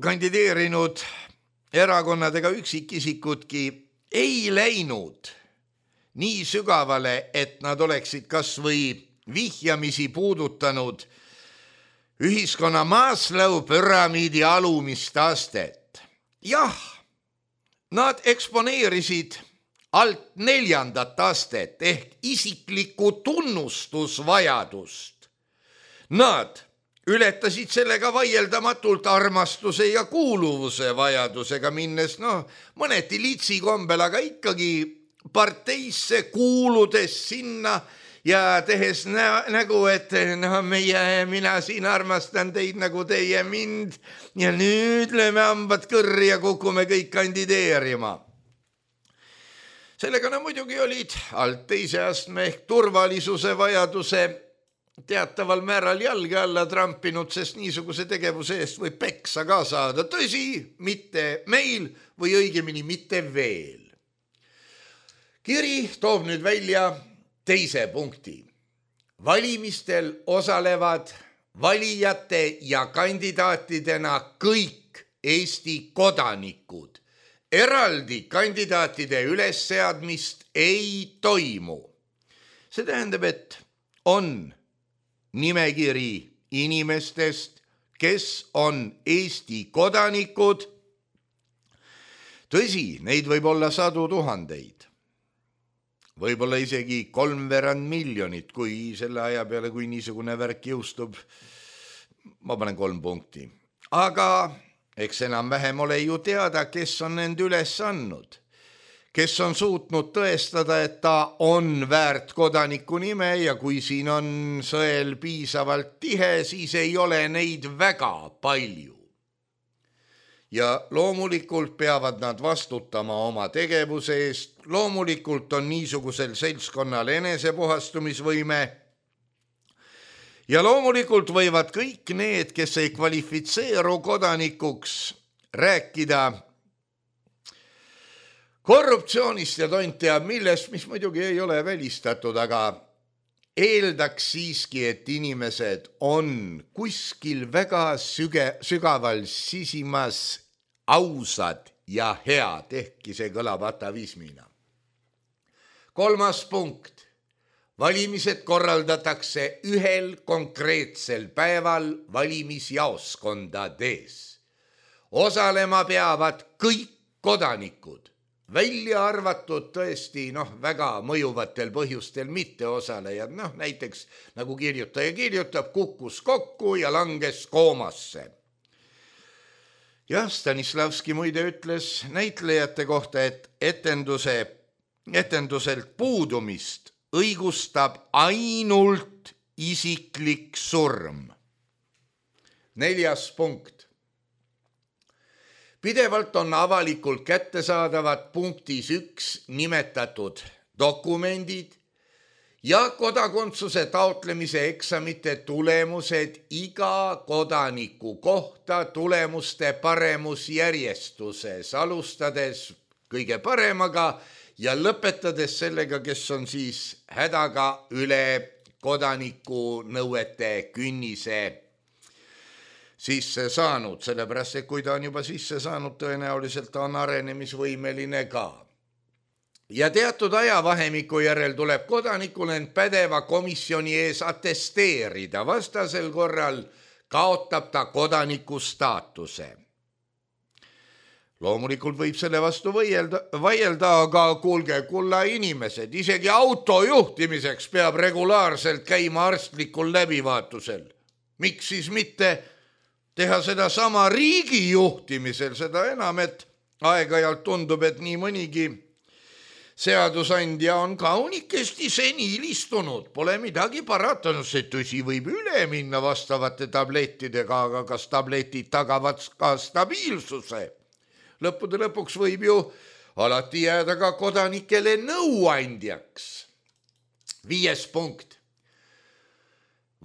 [SPEAKER 3] kandideerinud erakonnad ega üksikisikudki ei läinud nii sügavale, et nad oleksid kas või vihjamisi puudutanud ühiskonna Maslow püramiidi alumist astet. Jah, nad eksponeerisid alt 4. astet ehk isiklikku tunnustusvajadust. Nad ületasid sellega vaieldamatult armastuse ja kuuluvuse vajadusega minnes, mõneti litsi kombel, aga ikkagi parteisse kuuludes sinna ja tehes nägu, et mina siin armastan teid nagu teie mind ja nüüd lööme hambad kõrri ja kukume kõik kandideerima. Sellega muidugi olid alt 2. astme ehk turvalisuse vajaduse teataval määral jalge alla trampinud, sest niisuguse tegevuse eest võib peksa ka saada. Tõsi, mitte meil või õigemini mitte veel. Kiri toob nüüd välja 2. punkti. Valimistel osalevad valijate ja kandidaatidena kõik Eesti kodanikud. Eraldi kandidaatide ülesseadmist ei toimu. See tähendab, et on nimekiri inimestest, kes on Eesti kodanikud. Tõsi, neid võib olla 100 000. Võib-olla isegi 3/4 miljonit, kui selle aja peale, kui niisugune värk jõustub, ma panen 3 punkti. Aga eks enam-vähem ole ju teada, kes on end üles andnud, kes on suutnud tõestada, et ta on väärt kodaniku nime ja kui siin on sõel piisavalt tihe, siis ei ole neid väga palju. ja loomulikult peavad nad vastutama oma tegevuse eest. Loomulikult on niisugusel seltskonnal enesepuhastumisvõime ja loomulikult võivad kõik need, kes ei kvalifitseeru kodanikuks, rääkida korruptsioonist ja tont teab millest, mis muidugi ei ole välistatud, aga eeldaks siiski, et inimesed on kuskil väga sügaval sisimas ausad ja head, ehkki see kõlab atavismina. 3. punkt. Valimised korraldatakse ühel konkreetsel päeval valimisjaoskondades. Osalema peavad kõik kodanikud, välja arvatud tõesti väga mõjuvatel põhjustel mitteosalejad, näiteks nagu kirjutaja kirjutab, kukkus kokku ja langes koomasse. Stanislavski muide ütles näitlejate kohta, et etenduselt puudumist õigustab ainult isiklik surm. 4. punkt. Pidevalt on avalikult kättesaadavad punktis 1 nimetatud dokumendid ja kodakondsuse taotlemise eksamite tulemused iga kodaniku kohta tulemuste paremusjärjestuses, alustades kõige paremaga ja lõpetades sellega, kes on siis hädaga üle kodaniku nõuete künnise sisse saanud, sellepärast, et kui ta on juba sisse saanud, tõenäoliselt ta on arenemisvõimeline ka. Ja teatud ajavahemiku järel tuleb kodanikul end pädeva komisjoni ees attesteerida, vastasel korral kaotab ta kodaniku staatuse. Loomulikult võib selle vastu vaielda, aga kuulge, kulla inimesed, isegi auto juhtimiseks peab regulaarselt käima arstlikul läbivaatusel. Miks siis mitte teha seda sama riigi juhtimisel, seda enam, et aeg-ajalt tundub, et nii mõnigi seadusandja on kaunikesti senil istunud. Pole midagi paratanud, see tõsi võib üle minna vastavate tablettidega, aga kas tabletid tagavad ka stabiilsuse? Lõppude lõpuks võib ju alati jääda ka kodanikele nõuandjaks. 5. punkt.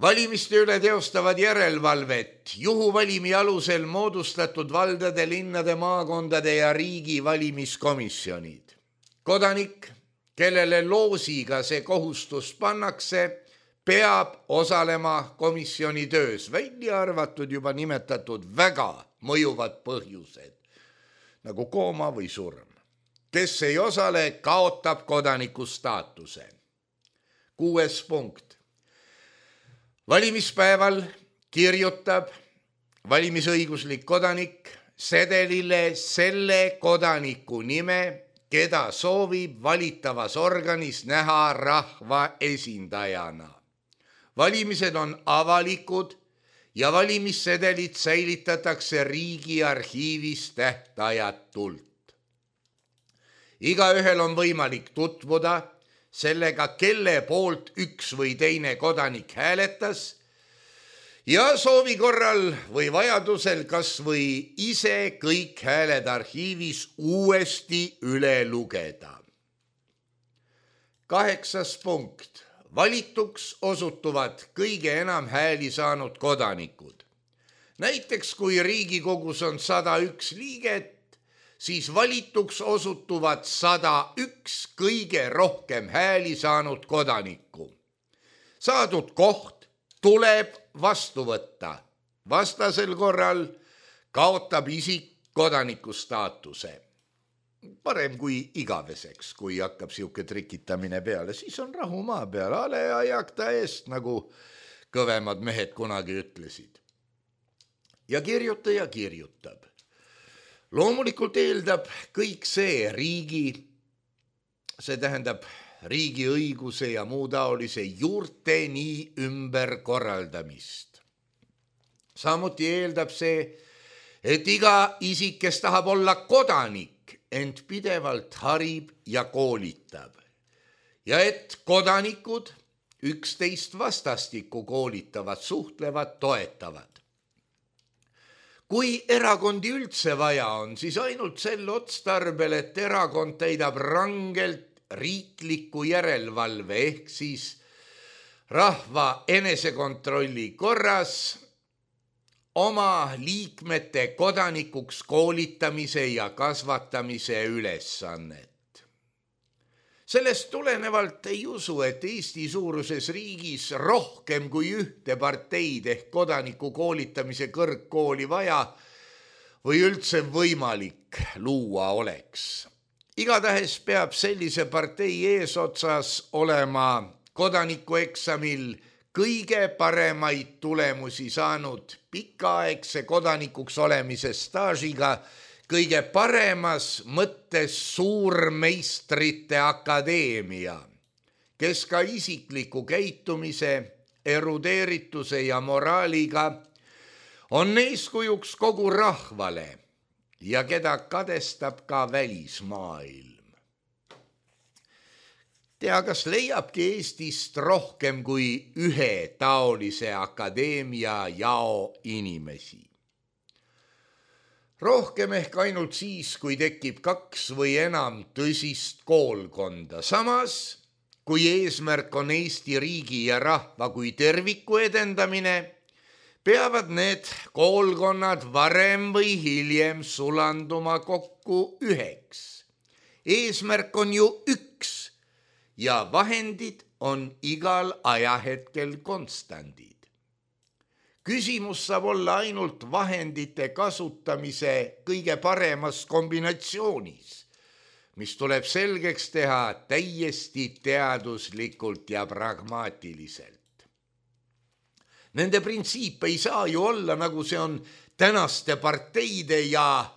[SPEAKER 3] Valimiste üle teostavad järelevalvet juhuvalimi alusel moodustatud valdade, linnade, maakondade ja riigi valimiskomisjonid. Kodanik, kellele loosiga see kohustus pannakse, peab osalema komisjoni töös, välja arvatud juba nimetatud väga mõjuvad põhjused, nagu kooma või surm. Kes ei osale, kaotab kodaniku staatuse. 6. punkt. Valimispäeval kirjutab valimisõiguslik kodanik sedelile selle kodaniku nime, keda soovib valitavas organis näha rahva esindajana. Valimised on avalikud ja valimissedelid säilitatakse riigi arhiivis tähtajatult. Igaühel on võimalik tutvuda sellega, kelle poolt üks või teine kodanik hääletas ja soovi korral või vajadusel kas või ise kõik hääled arhiivis uuesti üle lugeda. 8. punkt. Valituks osutuvad kõige enam hääli saanud kodanikud. Näiteks kui Riigikogus on 101 liiget, siis valituks osutuvad 101 kõige rohkem hääli saanud kodanikku. Saadud koht tuleb vastu võtta. Vastasel korral kaotab isik kodaniku staatuse. Parem kui igaveseks, kui hakkab siuke trikitamine peale, siis on rahu maa peal, ale ajakta eest, nagu kõvemad mehed kunagi ütlesid. Ja kirjutaja kirjutab. Loomulikult eeldab kõik see riigi, see tähendab riigi õiguse ja muu taolise juurteni ümberkorraldamist. Samuti eeldab see, et iga isik, kes tahab olla kodanik, ent pidevalt harib ja koolitab. Ja et kodanikud üksteist vastastikku koolitavad, suhtlevad, toetavad. kui erakondi üldse vaja on, siis ainult sel otstarbel, et erakond täidab rangelt riikliku järelevalve ehk siis rahva enesekontrolli korras oma liikmete kodanikuks koolitamise ja kasvatamise ülesannet. Sellest tulenevalt ei usu, et Eesti suuruses riigis rohkem kui ühte parteid ehk kodaniku koolitamise kõrgkooli vaja või üldse võimalik luua oleks. Igatahes peab sellise partei eesotsas olema kodanikueksamil kõige paremaid tulemusi saanud pikaaegse kodanikuks olemise staažiga kõige paremas mõttes suurmeistrite akadeemia, kes ka isikliku käitumise, erudeerituse ja moraaliga on eeskujuks kogu rahvale ja keda kadestab ka välismaailm. Tea, kas leiabki Eestist rohkem kui ühe taolise akadeemia jao inimesi. Rohkem ehk ainult siis, kui tekib 2 või enam tõsist koolkonda. Samas, kui eesmärk on Eesti riigi ja rahva kui terviku edendamine, peavad need koolkonnad varem või hiljem sulanduma kokku üheks. Eesmärk on ju üks ja vahendid on igal ajahetkel konstandid. Küsimus saab olla ainult vahendite kasutamise kõige paremas kombinatsioonis, mis tuleb selgeks teha täiesti teaduslikult ja pragmaatiliselt. Nende printsiip ei saa ju olla, nagu see on tänaste parteide ja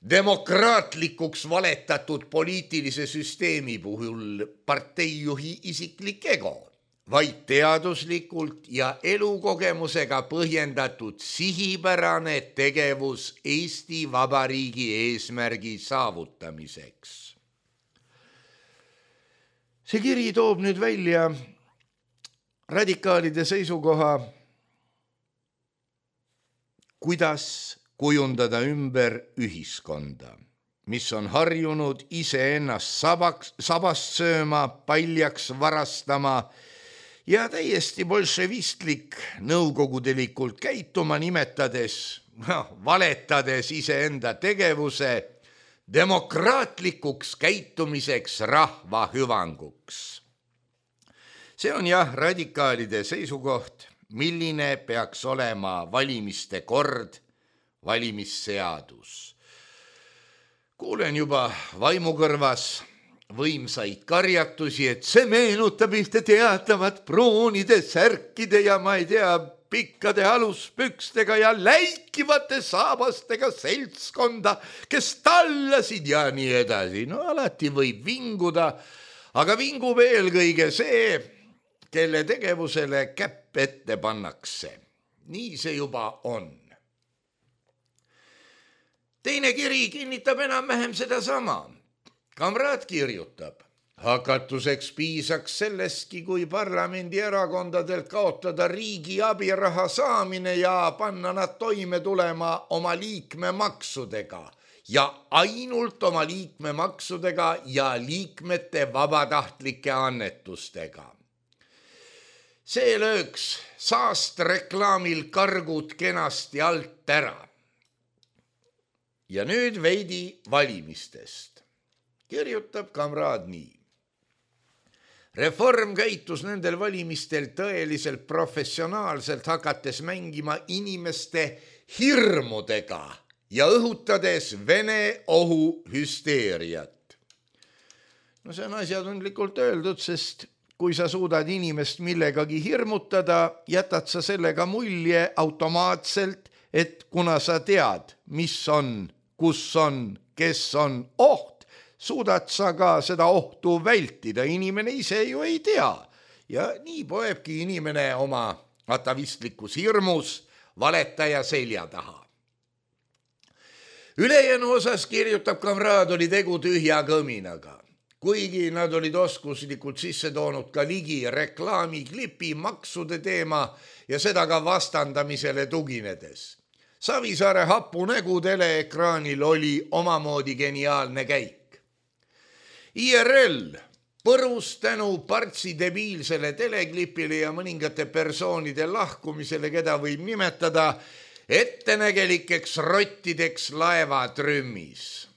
[SPEAKER 3] demokraatlikuks valetatud poliitilise süsteemi puhul parteijuhi isiklik ego, vaid teaduslikult ja elukogemusega põhjendatud sihipärane tegevus Eesti Vabariigi eesmärgi saavutamiseks. See kiri toob nüüd välja radikaalide seisukoha, kuidas kujundada ümber ühiskonda, mis on harjunud iseennast sabast sööma, paljaks varastama ja täiesti bolševistlik nõukogudelikult käituma, valetades iseenda tegevuse demokraatlikuks käitumiseks rahva hüvanguks. See on jah radikaalide seisukoht, milline peaks olema valimiste kord, valimisseadus. Kuulen juba vaimukõrvas võimsaid karjatusi, et see meenutab ühte teatavat pruunide särkide ja ma ei tea, pikkade aluspükstega ja läikivate saabastega seltskonda, kes tallasid ja nii edasi. No alati võib vinguda, aga vingub eelkõige see, kelle tegevusele käpp ette pannakse. Nii see juba on. Teine kiri kinnitab enam-vähem sedasama. Kamraad kirjutab, hakatuseks piisaks sellestki, kui parlamendierakondadelt kaotada riigi abiraha saamine ja panna nad toime tulema oma liikmemaksudega ja ainult oma liikmemaksudega ja liikmete vabatahtlike annetustega. See lööks saastreklaamil kargud kenasti alt ära. Ja nüüd veidi valimistest. Kirjutab kamraad nii. Reform käitus nendel valimistel tõeliselt professionaalselt, hakates mängima inimeste hirmudega ja õhutades Vene ohu hüsteeriat. No see on asjatundlikult öeldud, sest kui sa suudad inimest millegagi hirmutada, jätad sa sellega mulje automaatselt, et kuna sa tead, mis on, kus on, kes on oht, suudad sa ka seda ohtu vältida. Inimene ise ju ei tea. Ja nii poebki inimene oma atavistlikus hirmus valetaja selja taha. Ülejäänu osas kirjutab kamraad, oli tegu tühja kõminaga. Kuigi nad olid oskuslikult sisse toonud ka ligi reklaamiklipi maksude teema ja seda ka vastandamisele tuginedes. Savisaare hapunägu teleekraanil oli omamoodi geniaalne käik. IRL põrus tänu Partsi debiilsele teleklipile ja mõningate persoonide lahkumisele, keda võib nimetada ettenägelikeks rottideks laevatrümmis.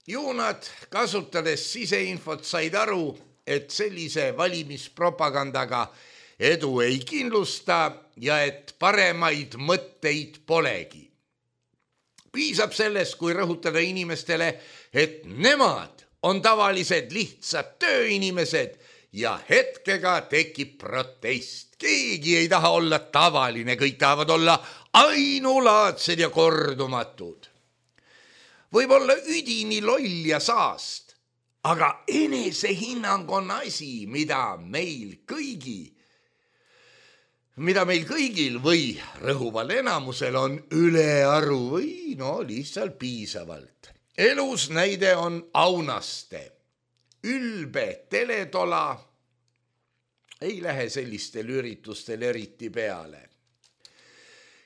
[SPEAKER 3] Juunad, kasutades siseinfot, said aru, et sellise valimispropagandaga edu ei kindlusta ja et paremaid mõtteid polegi. Piisab sellest, kui rõhutada inimestele, et nemad on tavalised lihtsad tööinimesed ja hetkega tekib protest. Keegi ei taha olla tavaline, kõik tahavad olla ainulaadsed ja kordumatud. Võib olla üdini loll ja saast, aga enesehinnang on asi, mida meil kõigil või rõhuval enamusel on ülearu või lihtsalt piisavalt. Elus näide on Aunaste. Ülbe teletola ei lähe sellistel üritustel eriti peale.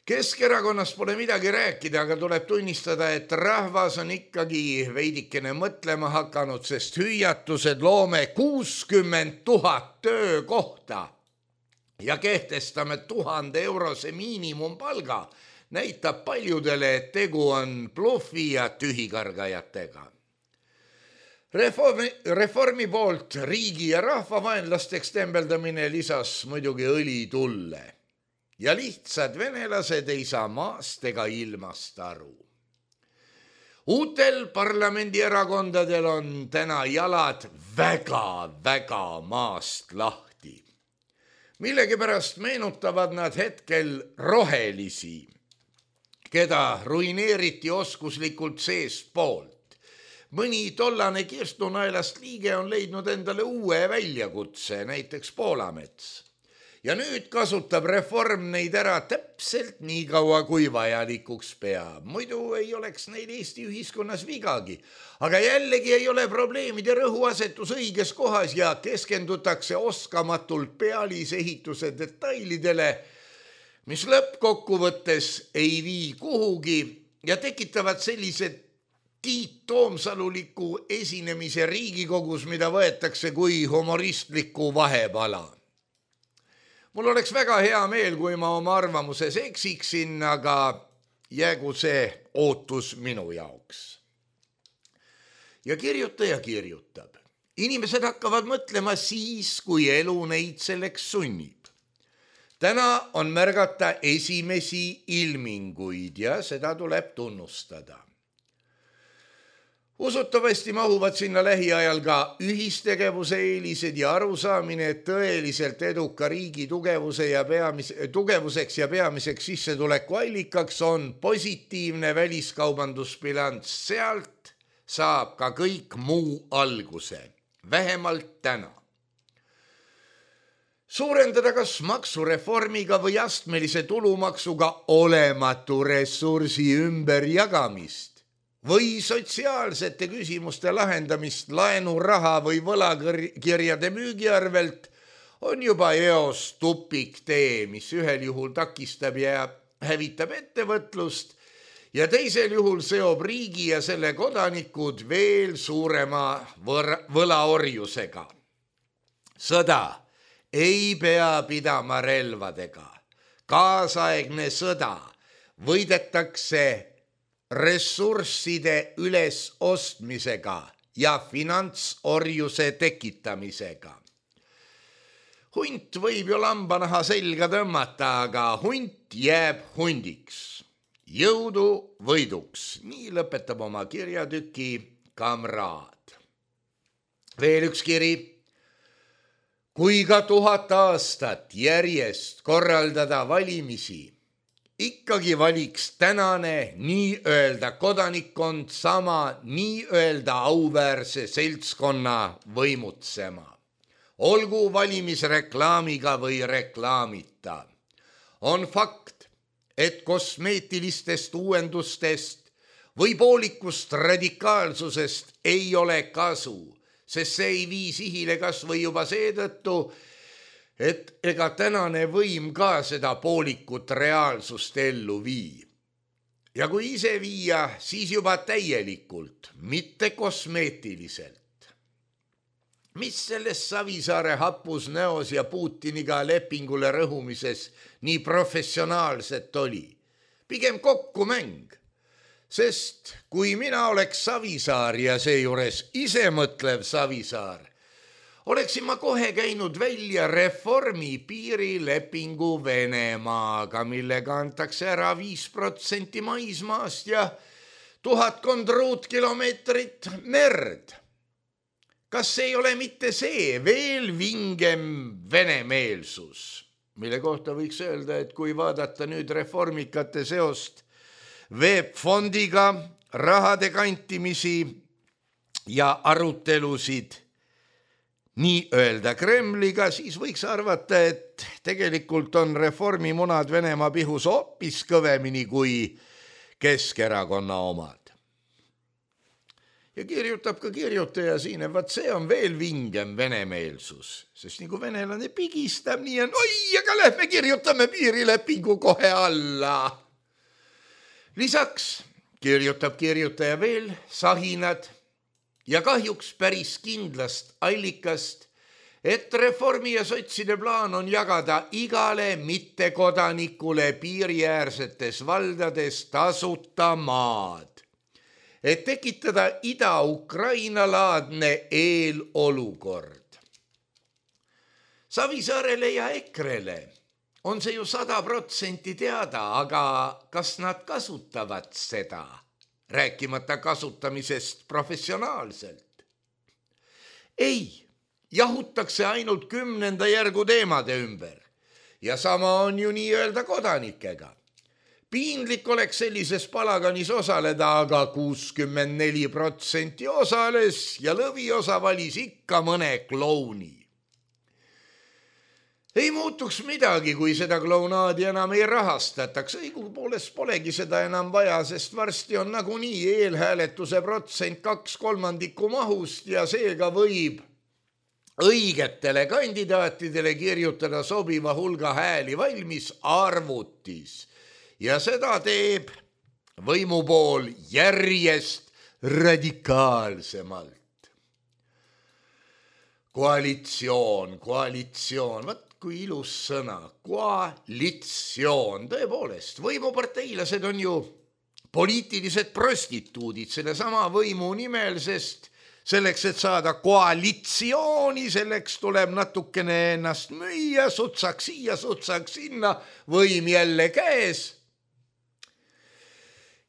[SPEAKER 3] Keskerakonnast pole midagi rääkida, aga tuleb tunnistada, et rahvas on ikkagi veidikene mõtlema hakanud, sest hüüatused loome 60 000 töökohta ja kehtestame 1000 eurose miinimumpalga, näitab paljudele, et tegu on blufi ja tühikargajatega. Reformi poolt riigi ja rahvavaenlasteks tembeldamine lisas muidugi õli tulle ja lihtsad venelased ei saa maast ega ilmast aru. Uutel parlamendierakondadel on täna jalad väga maast lahti. Millegipärast meenutavad nad hetkel rohelisi, keda ruineeriti oskuslikult seestpoolt. Mõni tollane Kirstunaelast liige on leidnud endale uue väljakutse, näiteks Poolamets. Ja nüüd kasutab reform neid ära täpselt nii kaua, kui vajalikuks peab. Muidu ei oleks neil Eesti ühiskonnas vigagi. Aga jällegi ei ole probleemide rõhuasetus õiges kohas ja keskendutakse oskamatult pealisehituse detailidele, mis lõppkokkuvõttes ei vii kuhugi ja tekitavad sellised Tiit Toomsaluliku esinemise Riigikogus, mida võetakse kui humoristliku vahepala. Mul oleks väga hea meel, kui ma oma arvamuses eksiksin, aga jäägu see ootus minu jaoks. Ja kirjutaja kirjutab. Inimesed hakkavad mõtlema siis, kui elu neid selleks sunnib. Täna on märgata esimesi ilminguid ja seda tuleb tunnustada. Usutavasti mahuvad sinna lähiajal ka ühistegevuse eelised ja arusaamine, et tõeliselt eduka riigi tugevuseks ja peamiseks sissetuleku allikaks on positiivne väliskaubandusbilanss. Sealt saab ka kõik muu alguse, vähemalt täna. Suurendada kas maksureformiga või astmelise tulumaksuga olematu ressursi ümberjagamist või sotsiaalsete küsimuste lahendamist laenuraha või võlakirjade müügiarvelt on juba eos tupiktee, mis ühel juhul takistab ja hävitab ettevõtlust ja teisel juhul seob riigi ja selle kodanikud veel suurema võlaorjusega. Sõda ei pea pidama relvadega. Kaasaegne sõda võidetakse ressursside ülesostmisega ja finantsorjuse tekitamisega. Hunt võib ju lambanaha selga tõmmata, aga hunt jääb hundiks. Jõudu võiduks, nii lõpetab oma kirjatüki kamraad. Veel üks kiri. Kui ka 1000 aastat järjest korraldada valimisi, ikkagi valiks tänane nii-öelda kodanikkond sama nii-öelda auväärse seltskonna võimutsema. Olgu valimisreklaamiga või reklaamita. On fakt, et kosmeetilistest uuendustest või poolikust radikaalsusest ei ole kasu, sest see ei vii sihile kas või juba seetõttu, et ega tänane võim ka seda poolikut reaalsust ellu vii. ja kui ise viia, siis juba täielikult, mitte kosmeetiliselt. Mis selles Savisaare hapus näos ja Putiniga lepingule rõhumises nii professionaalset oli? Pigem kokkumäng. Sest kui mina oleks Savisaar ja seejuures isemõtlev Savisaar, oleksin ma kohe käinud välja reformi piirilepingu Venemaaga, millega antakse ära 5% maismaast ja 1000 ruutkilomeetrit merd. Kas ei ole mitte see veel vingem venemeelsus, mille kohta võiks öelda, et kui vaadata nüüd reformikate seost VEB-fondiga, rahade kantimisi ja arutelusid nii öelda Kremliga, siis võiks arvata, et tegelikult on reformimunad Venemaa pihus hoopis kõvemini kui Keskerakonna omad. Ja kirjutab ka kirjutaja siin, et vaat see on veel vingem venemeelsus, sest nii kui venelane pigistab, nii on, oi, aga lähme kirjutame piirilepingu kohe alla. Lisaks kirjutab kirjutaja veel sahinad ja kahjuks päris kindlast allikast, et reformi ja sotside plaan on jagada igale mittekodanikule piiriäärsetes valdades tasuta maad, et tekitada Ida-Ukraina-laadne eelolukord. Savisaarele ja Ekrele on see ju 100% teada, aga kas nad kasutavad seda, rääkimata kasutamisest professionaalselt? Ei, jahutakse ainult 10. järgu teemade ümber ja sama on ju nii öelda kodanikega. Piinlik oleks sellises palaganis osaleda, aga 64% osales ja lõviosa valis ikka mõne klouni. Ei muutuks midagi, kui seda klounaadi enam ei rahastataks. Õigupoolest polegi seda enam vaja, sest varsti on nagunii eelhääletuse protsent 2/3 mahust ja seega võib õigetele kandidaatidele kirjutada sobiva hulga hääli valmis arvutis. Ja seda teeb võimupool järjest radikaalsemalt. Koalitsioon. Vat kui ilus sõna, koalitsioon, tõepoolest, võimuparteilased on ju poliitilised prostituudid selle sama võimu nimel, sest selleks, et saada koalitsiooni, selleks tuleb natukene ennast müüa, sutsaks siia, sutsaks sinna, võim jälle käes.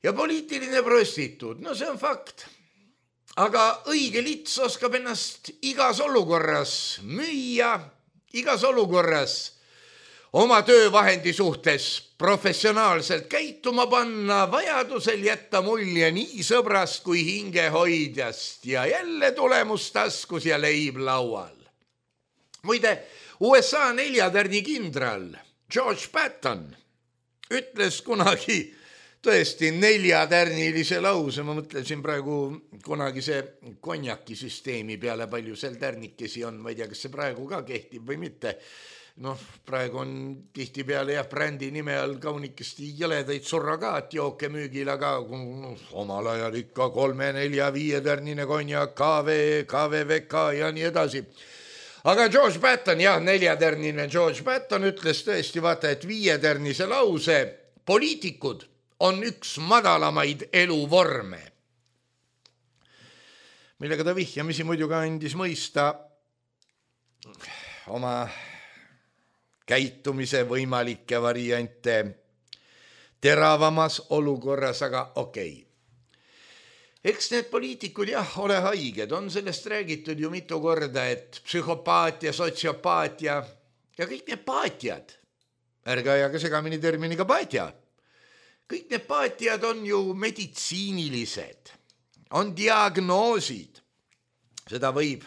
[SPEAKER 3] Ja poliitiline prostituut, no see on fakt. Aga õige lits oskab ennast igas olukorras müüa, igas olukorras oma töövahendi suhtes professionaalselt käituma panna, vajadusel jätta mulje nii sõbrast kui hingehoidjast ja jälle tulemus taskus ja leib laual. Muide, USA 4-tärni kindral George Patton ütles kunagi tõesti 4-tärnilise lause, ma mõtlesin praegu kunagi see konjakisüsteemi peale, palju seal tärnikesi on, ma ei tea, kas see praegu ka kehtib või mitte. Praegu on tihti peale brändi nime all kaunikesti jõledaid surrogaatjooke müügil, aga omal ajal ikka 3, 4, 5-tärnine konjak, KVVK ja nii edasi. Aga George Patton, 4-tärnine George Patton ütles tõesti, vaata, et 5-tärnise lause poliitikud on üks madalamaid eluvorme, millega ta vihjamisi muidugi andis mõista oma käitumise võimalikke variante teravamas olukorras, aga okei. Eks need poliitikud ole haiged, on sellest räägitud ju mitu korda, et psühhopaatia, sotsiopaatia ja kõik need paatiad, ärge ajage segamini terminiga paatia. Kõik need paatiad on ju meditsiinilised, on diagnoosid. Seda võib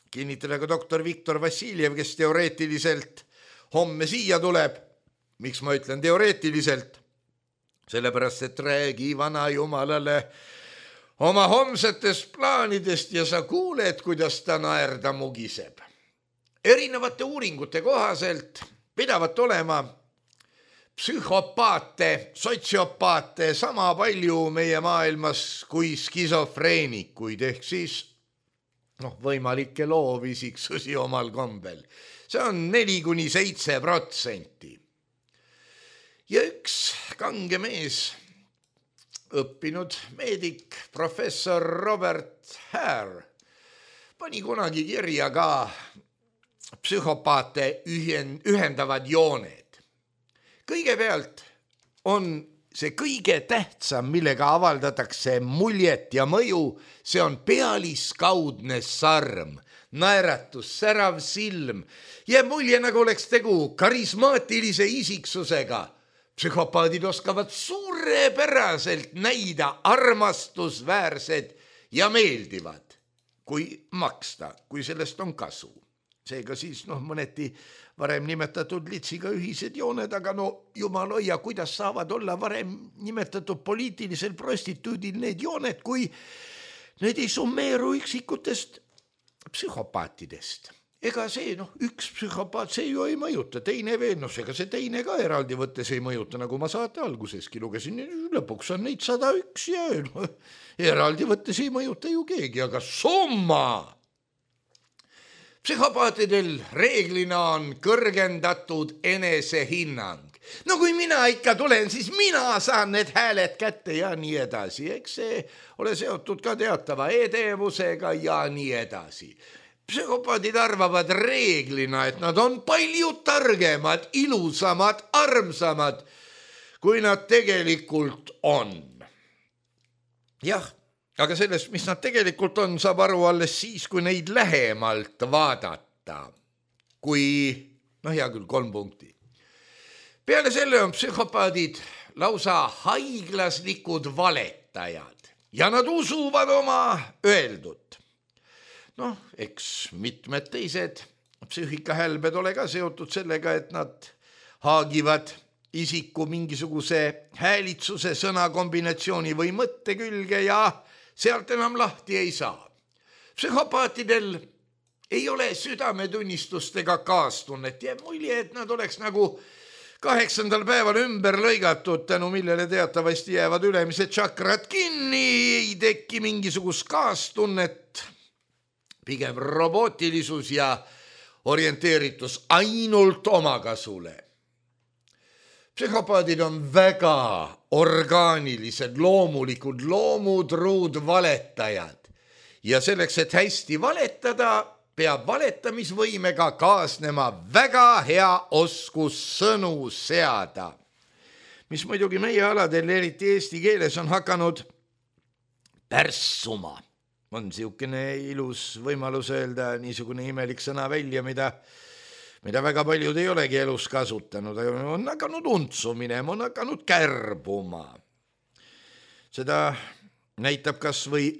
[SPEAKER 3] kinnitada ka doktor Viktor Vassiljev, kes teoreetiliselt homme siia tuleb. Miks ma ütlen teoreetiliselt? Sellepärast, et räägi vana jumalale oma homsetest plaanidest ja sa kuuled, kuidas ta naerda mugiseb. Erinevate uuringute kohaselt pidavat olema psühhopaate, sotsiopaate sama palju meie maailmas kui skisofreenikuid ehk siis võimalikke loovisiksusi omal kombel. See on 4–7%. Ja üks kange mees, õppinud meedik, professor Robert Hare, pani kunagi kirja ka psühhopaate ühendavad jooned. Kõigepealt on see kõige tähtsam, millega avaldatakse muljet ja mõju, see on pealiskaudne sarm, naeratus, särav silm. Jääb mulje, nagu oleks tegu karismaatilise isiksusega. Psühhopaadid oskavad suurepäraselt näida armastusväärsed ja meeldivad, kui maksta, kui sellest on kasu. Seega siis mõneti varem nimetatud litsiga ühised jooned, aga jumal hoia, kuidas saavad olla varem nimetatud poliitilisel prostituudil need jooned, kui need ei summeeru üksikutest psühhopaatidest. Ega see üks psühhopaat, see ju ei mõjuta, teine veel, ega see teine ka eraldi võttes ei mõjuta, nagu ma saate alguseski lugesin, lõpuks on neid 101 ja eraldi võttes ei mõjuta ju keegi, aga summa! Psühhopaatidel reeglina on kõrgendatud enesehinnang. Kui mina ikka tulen, siis mina saan need hääled kätte ja nii edasi. Eks see ole seotud ka teatava edevusega ja nii edasi. Psühhopaadid arvavad reeglina, et nad on palju targemad, ilusamad, armsamad, kui nad tegelikult on. Jah. Aga sellest, mis nad tegelikult on, saab aru alles siis, kui neid lähemalt vaadata. Kui, hea küll, 3 punkti. Peale selle on psühhopaadid lausa haiglaslikud valetajad ja nad usuvad oma öeldut. Eks mitmed teised psüühikahälbed ole ka seotud sellega, et nad haagivad isiku mingisuguse häälitsuse, sõnakombinatsiooni või mõtte külge ja sealt enam lahti ei saa. Psühhopaatidel ei ole südametunnistust ega kaastunnet. Jääb mulje, et nad oleks nagu 8. päeval ümber lõigatud, tänu millele teatavasti jäävad ülemised tšakrad kinni, ei teki mingisugust kaastunnet, pigem robootilisus ja orienteeritus ainult omakasule. Psühhopaadid on väga orgaanilised, loomulikud, loomutruud valetajad ja selleks, et hästi valetada, peab valetamisvõimega kaasnema väga hea oskus sõnu seada, mis muidugi meie aladel, eriti eesti keeles, on hakanud pärssuma. On siukene ilus võimalus öelda niisugune imelik sõna välja, mida väga paljud ei olegi elus kasutanud, on hakanud untsu minema, on hakanud kärbuma. Seda näitab kas või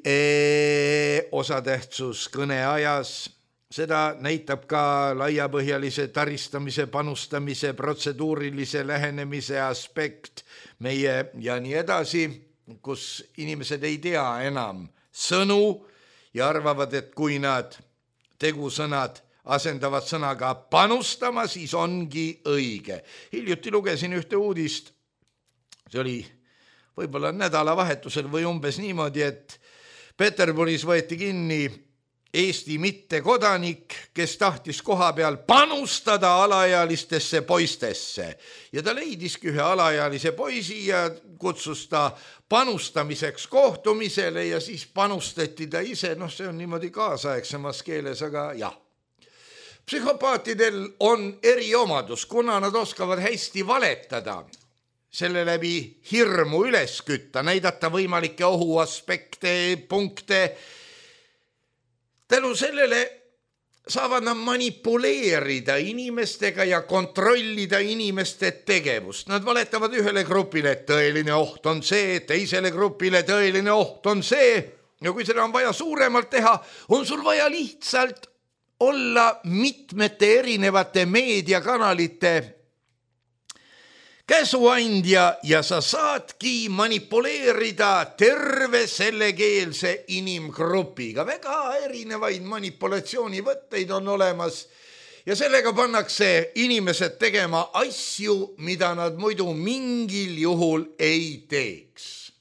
[SPEAKER 3] osatähtsus kõneajas, seda näitab ka laiapõhjalise taristamise, panustamise, protseduurilise lähenemise aspekt meie ja nii edasi, kus inimesed ei tea enam sõnu ja arvavad, et kui nad tegusõnad asendavad sõnaga panustama, siis ongi õige. Hiljuti lugesin ühte uudist, see oli võib-olla nädalavahetusel või umbes niimoodi, et Peterburis võeti kinni Eesti mittekodanik, kes tahtis koha peal panustada alaealistesse poistesse ja ta leidiski ühe alaealise poisi ja kutsus ta panustamiseks kohtumisele ja siis panustati ta ise, see on niimoodi kaasaegsemas keeles, aga jah. Psühhopaatidel on eriomadus, kuna nad oskavad hästi valetada, selle läbi hirmu üles kütta, näidata võimalikke ohuaspekte, punkte. Tänu sellele saavad nad manipuleerida inimestega ja kontrollida inimeste tegevust. Nad valetavad ühele grupile, et tõeline oht on see, teisele grupile tõeline oht on see. Ja kui seda on vaja suuremalt teha, on sul vaja lihtsalt olla mitmete erinevate meediakanalite käsuandja ja sa saadki manipuleerida terve sellekeelse inimgrupiga. Väga erinevaid manipulatsioonivõtteid on olemas ja sellega pannakse inimesed tegema asju, mida nad muidu mingil juhul ei teeks.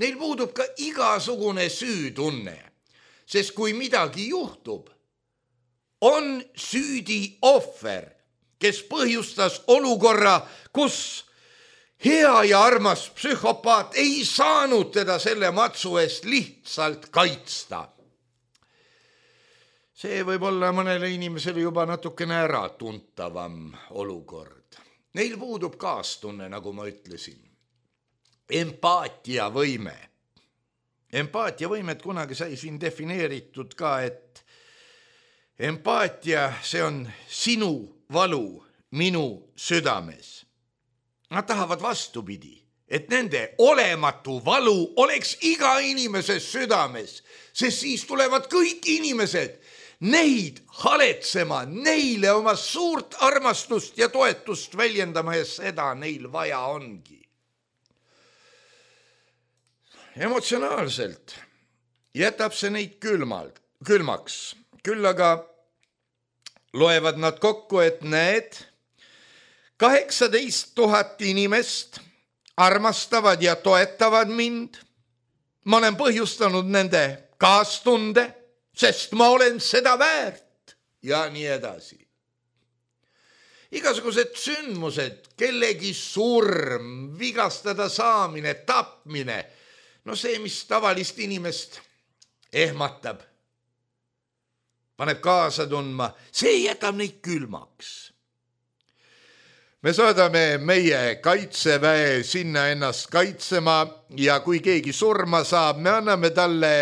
[SPEAKER 3] Neil puudub ka igasugune süütunne, sest kui midagi juhtub, on süüdi ohver, kes põhjustas olukorra, kus hea ja armas psühhopaat ei saanud teda selle matsu eest lihtsalt kaitsta. See võib olla mõnele inimesele juba natukene äratuntavam olukord. Neil puudub kaastunne, nagu ma ütlesin. Empaatiavõime. Empaatiavõimet kunagi sai siin defineeritud ka, et empaatia, see on sinu valu minu südames. Nad tahavad vastupidi, et nende olematu valu oleks iga inimese südames, sest siis tulevad kõik inimesed neid haletsema, neile oma suurt armastust ja toetust väljendama ja seda neil vaja ongi. Emotsionaalselt jätab see neid külmaks, küll aga loevad nad kokku, et need 18 000 inimest armastavad ja toetavad mind. Ma olen põhjustanud nende kaastunde, sest ma olen seda väärt ja nii edasi. Igasugused sündmused, kellegi surm, vigastada saamine, tapmine, no see, mis tavalist inimest ehmatab, paneb kaasa tundma, see jätab neid külmaks. Me saadame meie kaitseväe sinna ennast kaitsema ja kui keegi surma saab, me anname talle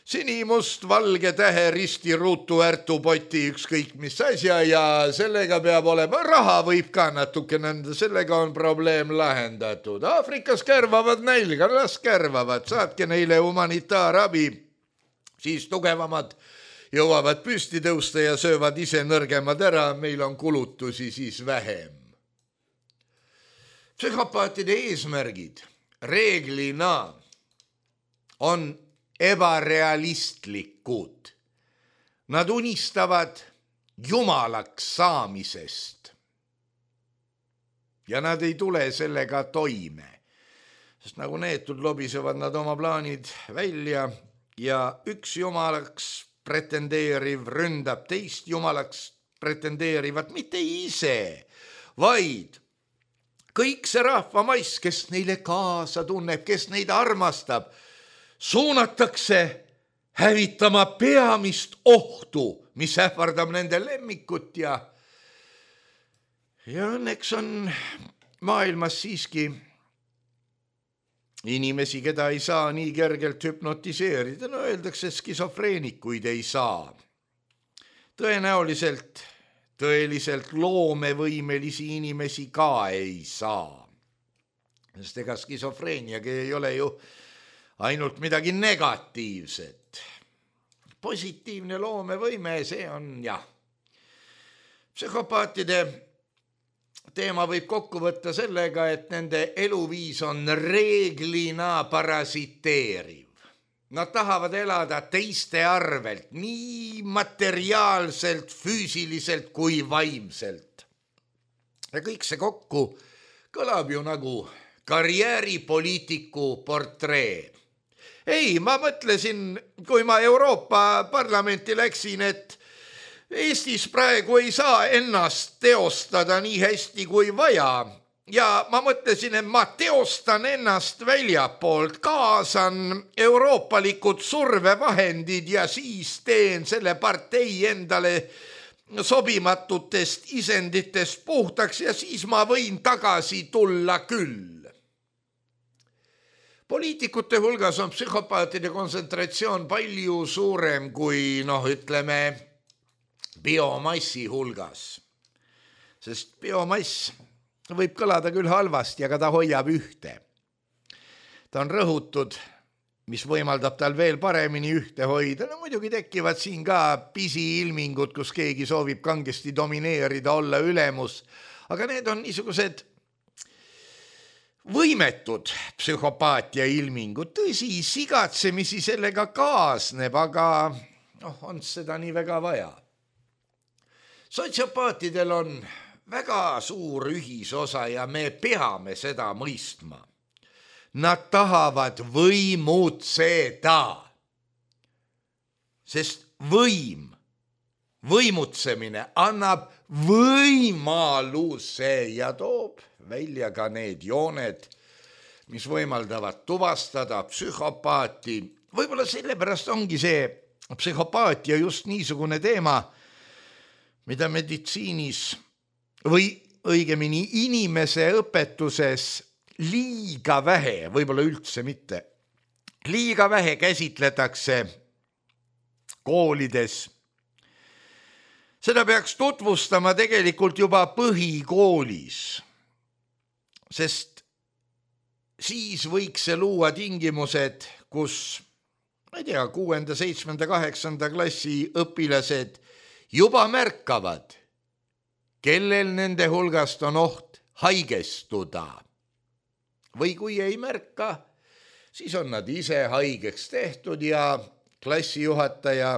[SPEAKER 3] sinimust, valge tähe, risti, ruutu, ärtu, poti, ükskõik mis asja ja sellega peab olema, raha võib ka natukene anda, sellega on probleem lahendatud. Aafrikas kärvavad nälga, las kärvavad, saatke neile humanitaarabi, siis tugevamad jõuavad püsti tõusta ja söövad ise nõrgemad ära, meil on kulutusi siis vähem. Psühhopaatide eesmärgid reeglina on ebarealistlikud. Nad unistavad jumalaks saamisest. Ja nad ei tule sellega toime. Sest nagu neetud lobisevad nad oma plaanid välja ja üks jumalaks pretendeeriv ründab teist jumalaks pretendeerivat mitte ise, vaid kõik see rahvamaiss, kes neile kaasa tunneb, kes neid armastab, suunatakse hävitama peamist ohtu, mis ähvardab nende lemmikut ja õnneks on maailmas siiski inimesi, keda ei saa nii kergelt hüpnotiseerida. No öeldakse, skisofreenikuid ei saa. Tõeliselt loomevõimelisi inimesi ka ei saa. Sest ega skisofreeniagi ei ole ju ainult midagi negatiivset. Positiivne loomevõime, see on jah. Psühhopaatide teema võib kokku võtta sellega, et nende eluviis on reeglina parasiteeriv. Nad tahavad elada teiste arvelt, nii materiaalselt, füüsiliselt kui vaimselt. Ja kõik see kokku kõlab ju nagu karjääripoliitiku portree. Ei, ma mõtlesin, kui ma Euroopa Parlamenti läksin, et Eestis praegu ei saa ennast teostada nii hästi kui vaja. Ja ma mõtlesin, et ma teostan ennast väljapoolt, kaasan euroopalikud survevahendid ja siis teen selle partei endale sobimatutest isenditest puhtaks ja siis ma võin tagasi tulla küll. Poliitikute hulgas on psühhopaatide kontsentratsioon palju suurem kui, ütleme, biomassi hulgas. Sest biomass võib kõlada küll halvasti, aga ta hoiab ühte. Ta on rõhutud, mis võimaldab tal veel paremini ühte hoida. No muidugi tekivad siin ka pisiilmingud, kus keegi soovib kangesti domineerida, olla ülemus. Aga need on niisugused võimetud psühhopaatia ilmingud. Tõsi, sigatsemisi sellega kaasneb, aga on seda nii väga vaja. Sotsiopaatidel on väga suur ühisosa ja me peame seda mõistma. Nad tahavad võimutseda, sest võimutsemine annab võimaluse ja toob välja ka need jooned, mis võimaldavad tuvastada psühhopaati. Võib-olla sellepärast ongi see psühhopaatia just niisugune teema, mida meditsiinis või õigemini inimese õpetuses liiga vähe, võib-olla üldse mitte, liiga vähe käsitletakse koolides. Seda peaks tutvustama tegelikult juba põhikoolis, sest siis võiks see luua tingimused, kus, ma ei tea, 6., 7., 8. klassi õpilased juba märkavad, kellel nende hulgast on oht haigestuda. Või kui ei märka, siis on nad ise haigeks tehtud ja klassijuhataja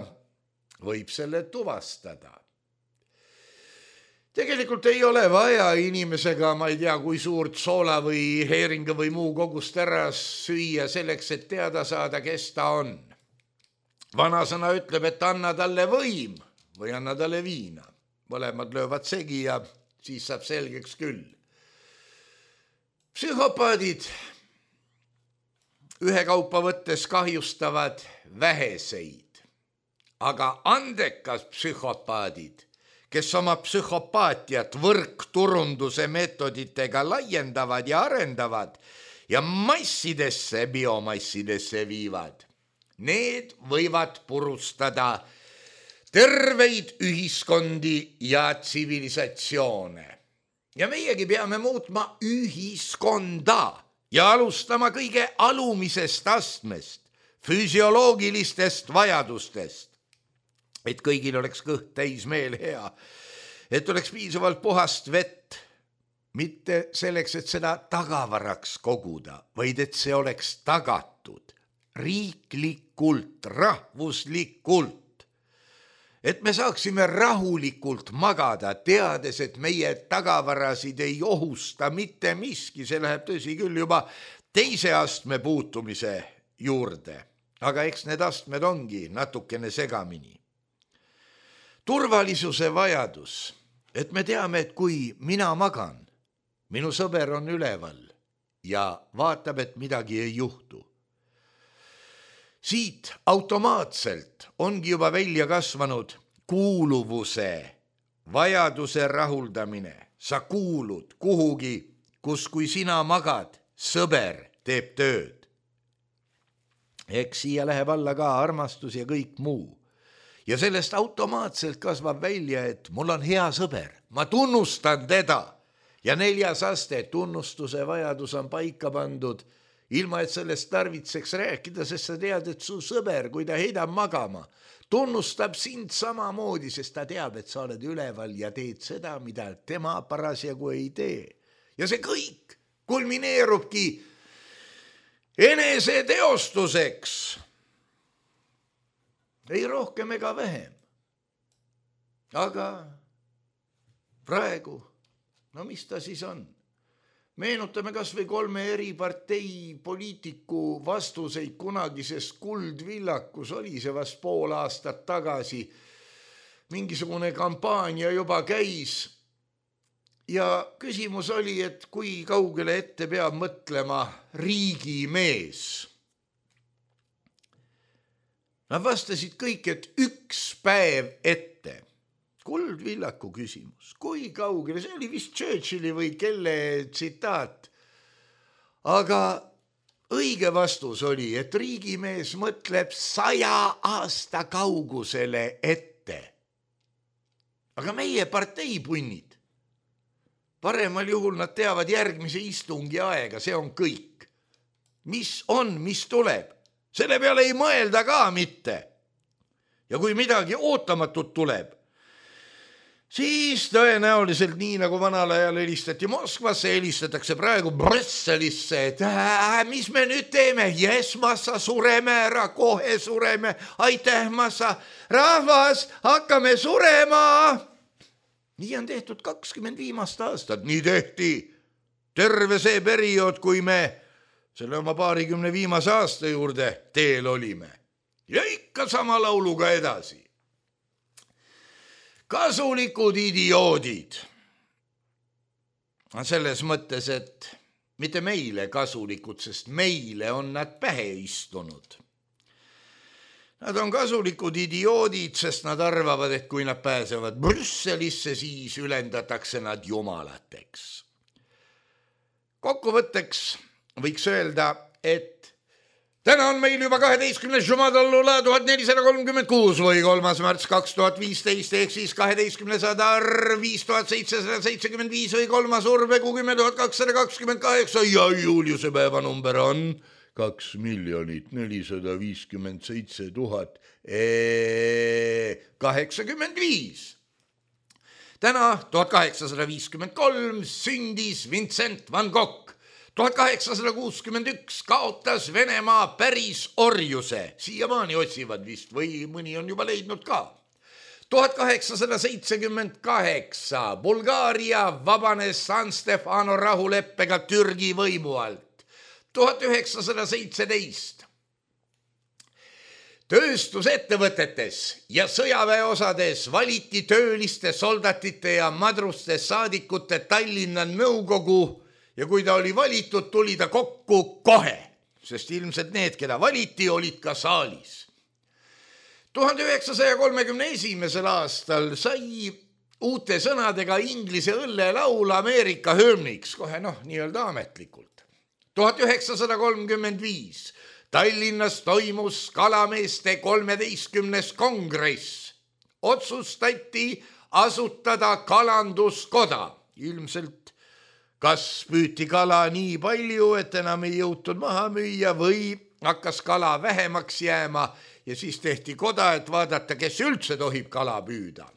[SPEAKER 3] võib selle tuvastada. Tegelikult ei ole vaja inimesega, ma ei tea, kui suurt soola või heeringa või muu kogust ära süüa selleks, et teada saada, kes ta on. Vanasõna ütleb, et anna talle võim või anna talle viina. Mõlemad löövad segi ja siis saab selgeks küll. Psühhopaadid ühekaupa võttes kahjustavad väheseid, aga andekas psühhopaadid, kes oma psühhopaatiat võrkturunduse meetoditega laiendavad ja arendavad ja massidesse, biomassidesse viivad, need võivad purustada terveid ühiskondi ja tsivilisatsioone. Ja meiegi peame muutma ühiskonda ja alustama kõige alumisest astmest, füsioloogilistest vajadustest. Et kõigil oleks kõht täis meel hea, et oleks piisavalt puhast vett, mitte selleks, et seda tagavaraks koguda, vaid et see oleks tagatud riiklikult, rahvuslikult. Et me saaksime rahulikult magada, teades, et meie tagavarasid ei ohusta mitte miski, see läheb tõsi küll juba teise astme puutumise juurde, aga eks need astmed ongi natukene segamini. Turvalisuse vajadus, et me teame, et kui mina magan, minu sõber on üleval ja vaatab, et midagi ei juhtu. Siit automaatselt ongi juba välja kasvanud kuuluvuse, vajaduse rahuldamine. Sa kuulud kuhugi, kus kui sina magad, sõber teeb tööd. Eks siia läheb alla ka armastus ja kõik muu. Ja sellest automaatselt kasvab välja, et mul on hea sõber, ma tunnustan teda. Ja 4. aste tunnustuse vajadus on paika pandud, ilma et sellest tarvitseks rääkida, sest sa tead, et su sõber, kui ta heidab magama, tunnustab sind samamoodi, sest ta teab, et sa oled üleval ja teed seda, mida tema parasjagu ei tee. Ja see kõik kulmineerubki eneseteostuseks. Ei rohkem ega vähem. Aga praegu, no mis ta siis on? Meenutame kas või 3 eri partei poliitiku vastuseid kunagisest Kuldvillakus, oli see vast pool aastat tagasi. Mingisugune kampaania juba käis ja küsimus oli, et kui kaugele ette peab mõtlema riigimees. Nad vastasid kõik, et 1 päev ette. Kuldvillaku küsimus, kui kaugele, see oli vist Churchilli või kelle tsitaat. Aga õige vastus oli, et riigimees mõtleb 100 aasta kaugusele ette. Aga meie parteipunnid, paremal juhul nad teavad järgmise istungi aega, see on kõik. Mis on, mis tuleb? Selle peale ei mõelda ka mitte. Ja kui midagi ootamatut tuleb, siis tõenäoliselt nii nagu vanal ajal helistati Moskvasse, helistatakse praegu Brüsselisse, et mis me nüüd teeme? Jes, massa, sureme ära, kohe sureme. Aitäh, massa. Rahvas, hakkame surema. nii on tehtud 20 viimast aastat, nii tehti terve see periood, kui me selle oma 20 viimase aasta juurde teel olime. Ja ikka sama lauluga edasi. Kasulikud idioodid. Selles mõttes, et mitte meile kasulikud, sest meile on nad pähe istunud. Nad on kasulikud idioodid, sest nad arvavad, et kui nad pääsevad Brüsselisse, siis ülendatakse nad jumalateks. Kokkuvõtteks võiks öelda, et täna on meil juba 12. Jumadallula 1436 või 3. märts 2015 ehk siis 12. arv 5775 või 3. urvekuu 10 228 ja Juliuse päevanumber on 2 457 085. Täna 1853 sündis Vincent van Gogh. 1861 kaotas Venemaa päris orjuse. Siiamaani otsivad vist või mõni on juba leidnud ka. 1878 Bulgaaria vabanes San Stefano rahuleppega Türgi võimu alt. 1917 tööstusettevõtetes ja sõjaväeosades valiti tööliste, soldatite ja madruste saadikute Tallinna nõukogu ja kui ta oli valitud, tuli ta kokku kohe, sest ilmselt need, keda valiti, olid ka saalis. 1931. aastal sai uute sõnadega inglise õllelaul Ameerika hümniks, kohe nii-öelda ametlikult. 1935 Tallinnas toimus kalameeste 13. kongress. Otsustati asutada kalanduskoda. Ilmselt kas püüti kala nii palju, et enam ei jõutud maha müüa või hakkas kala vähemaks jääma ja siis tehti koda, et vaadata, kes üldse tohib kala püüda.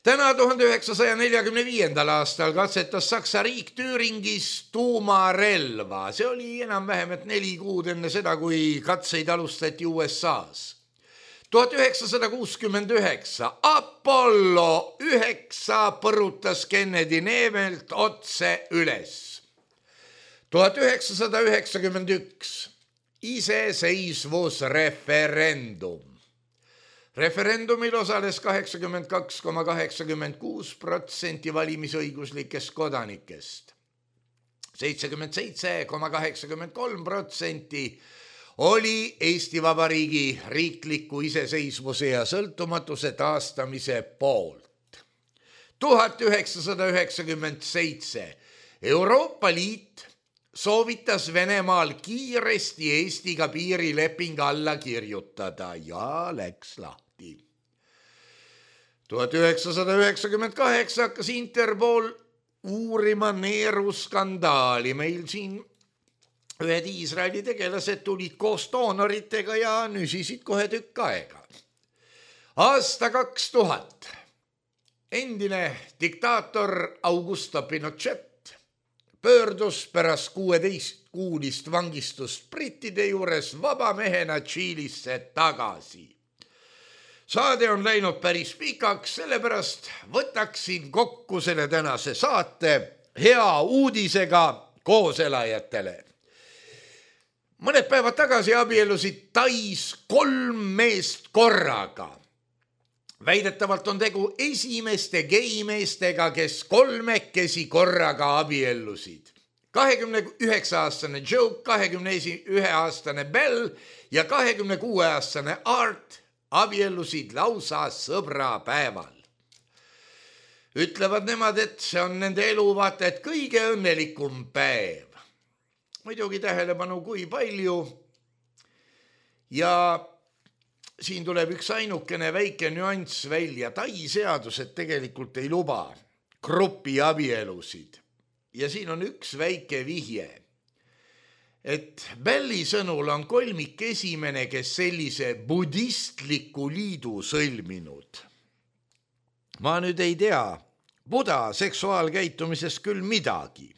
[SPEAKER 3] Täna 1945. aastal katsetas Saksa riik Thüringis tuumarelva. See oli enam-vähem 4 kuud enne seda, kui katseid alustati USA-s. 1969 Apollo 9 põrutas Kennedy neemelt otse üles. 1991 iseseisvusreferendum. Referendumil osales 82,86% valimisõiguslikest kodanikest. 77,83% oli Eesti Vabariigi riikliku iseseisvuse ja sõltumatuse taastamise poolt. 1997 Euroopa Liit soovitas Venemaal kiiresti Eestiga piirileping alla kirjutada ja läks lahti. 1998 hakkas Interpol uurima neeruskandaali. Meil siin ühed Iisraeli tegelased tulid koos doonoritega ja nüsisid kohe tükk aega. Aasta 2000. Endine diktaator Augusto Pinochet pöördus pärast 16-kuulist vangistust brittide juures vabamehena Tšiilisse tagasi. Saade on läinud päris pikaks, sellepärast võtaksin kokku selle tänase saate hea uudisega kooselajatele. Mõned päevad tagasi abiellusid Tais 3 meest korraga. Väidetavalt on tegu esimeste geimeestega, kes 3 korraga abiellusid. 29-aastane Joe, 21-aastane Bell ja 26-aastane Art abiellusid lausa sõbrapäeval. Ütlevad nemad, et see on nende elu vaata, et kõige õnnelikum päev. Muidugi tähelepanu kui palju ja siin tuleb üks ainukene väike nüanss välja. Tai seadused tegelikult ei luba grupi abielusid. Ja siin on üks väike vihje, et Belli sõnul on kolmik esimene, kes sellise budistliku liidu sõlminud. Ma nüüd ei tea buda seksuaalkäitumisest küll midagi,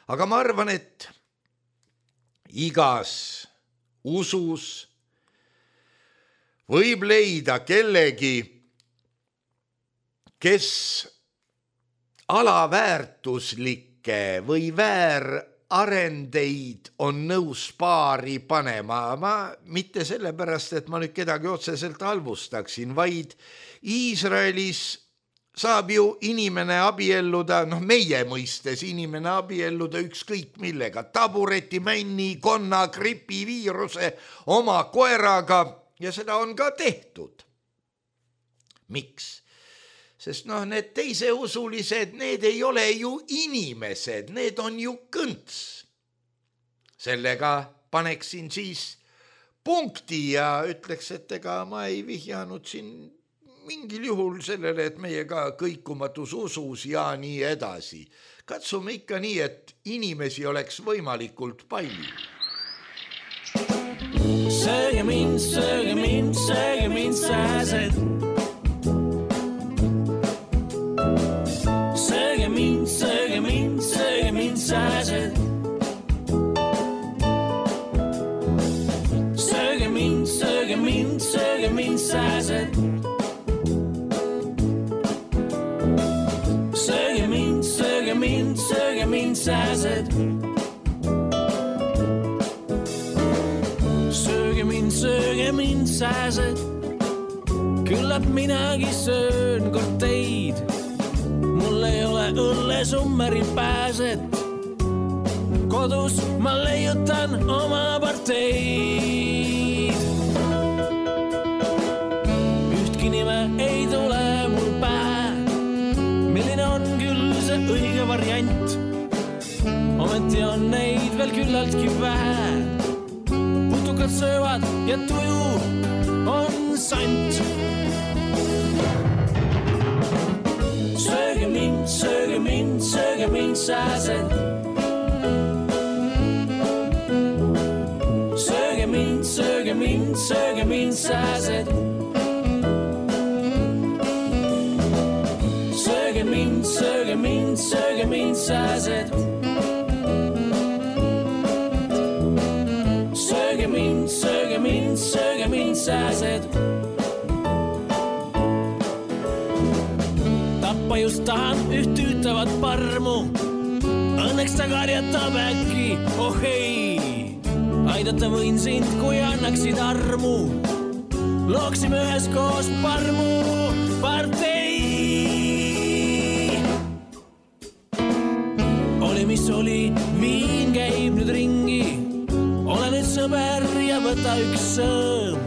[SPEAKER 3] aga ma arvan, et igas usus võib leida kellegi, kes alaväärtuslikke või väärarendeid on nõus paari panema. Ma mitte sellepärast, et ma nüüd kedagi otseselt halvustaksin, vaid Iisraelis saab ju inimene abielluda, meie mõistes inimene abielluda ükskõik millega, tabureti, männi, konna, gripi, viiruse, oma koeraga ja seda on ka tehtud. Miks? Sest need teiseusulised, need ei ole ju inimesed, need on ju kõnts. Sellega paneksin siis punkti ja ütleks, et ega ma ei vihjanud siin mingil juhul sellele, et meiega kõikumatus usus ja nii edasi. Katsume ikka nii, et inimesi oleks võimalikult palju.
[SPEAKER 4] Sööge mind, sööge mind, sööge mind, sääsed. Sööge mind, sööge mind, sööge mind, sääsed. Sööge mind, sööge mind, sööge mind, sääsed. Sööge mind, sööge mind, sööge mind, sääsed. Sööge mind, sööge mind, sääsed. Küllap minagi söön kord teid. Mul ei ole õllesummeri pääset. Kodus ma leiutan oma parteid. Ühtki nime ei tule mul pähe. Milline on küll see õige variant? Ometi on neid veel küllaltki vähe. Putukad söövad ja tuju on sant. Sööge mind, sööge mind, sööge mind, sääsed. Sööge mind, sööge mind, sööge mind, sääsed. Sööge mind, sööge mind, sööge mind, sääsed. Sööge mind, sööge mind, sööge mind, sääsed. Tappa just tahan üht tüütavat parmu. Õnneks ta karjatab äkki, oh ei. Aidata võin sind, kui annaksid armu. Looksime üheskoos parmu partei. Oli mis oli, viin käib nüüd ringi. Ole nüüd sõber ja võta üks sõõm.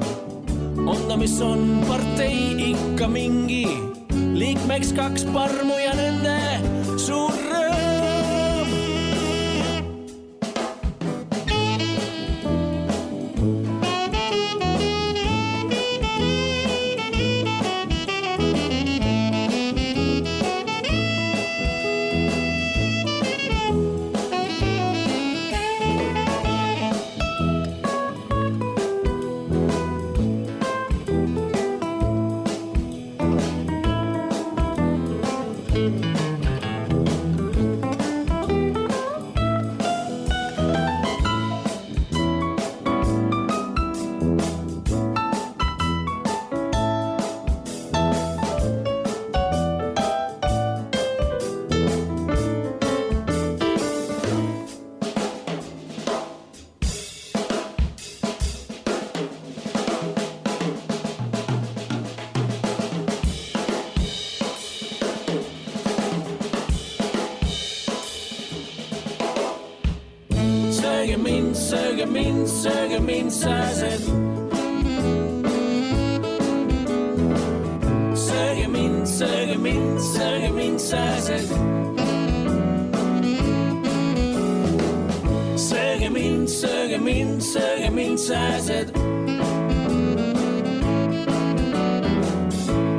[SPEAKER 4] On ta mis on partei ikka mingi. Liikmeks 2 parmu ja nende suur rõõm. Sööge mind, sööge mind, sööge mind, sääsed. Sööge mind, sööge mind, sööge mind, sääsed. Sööge mind, sööge mind, sööge mind, sääsed.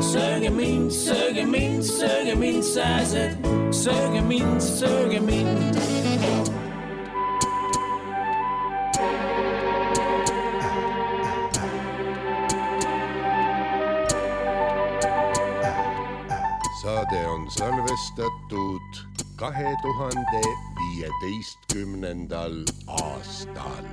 [SPEAKER 4] Sööge mind, sööge mind, sööge mind, sääsed. Sööge mind, sööge mind.
[SPEAKER 2] Saade on salvestatud 2015. aastal.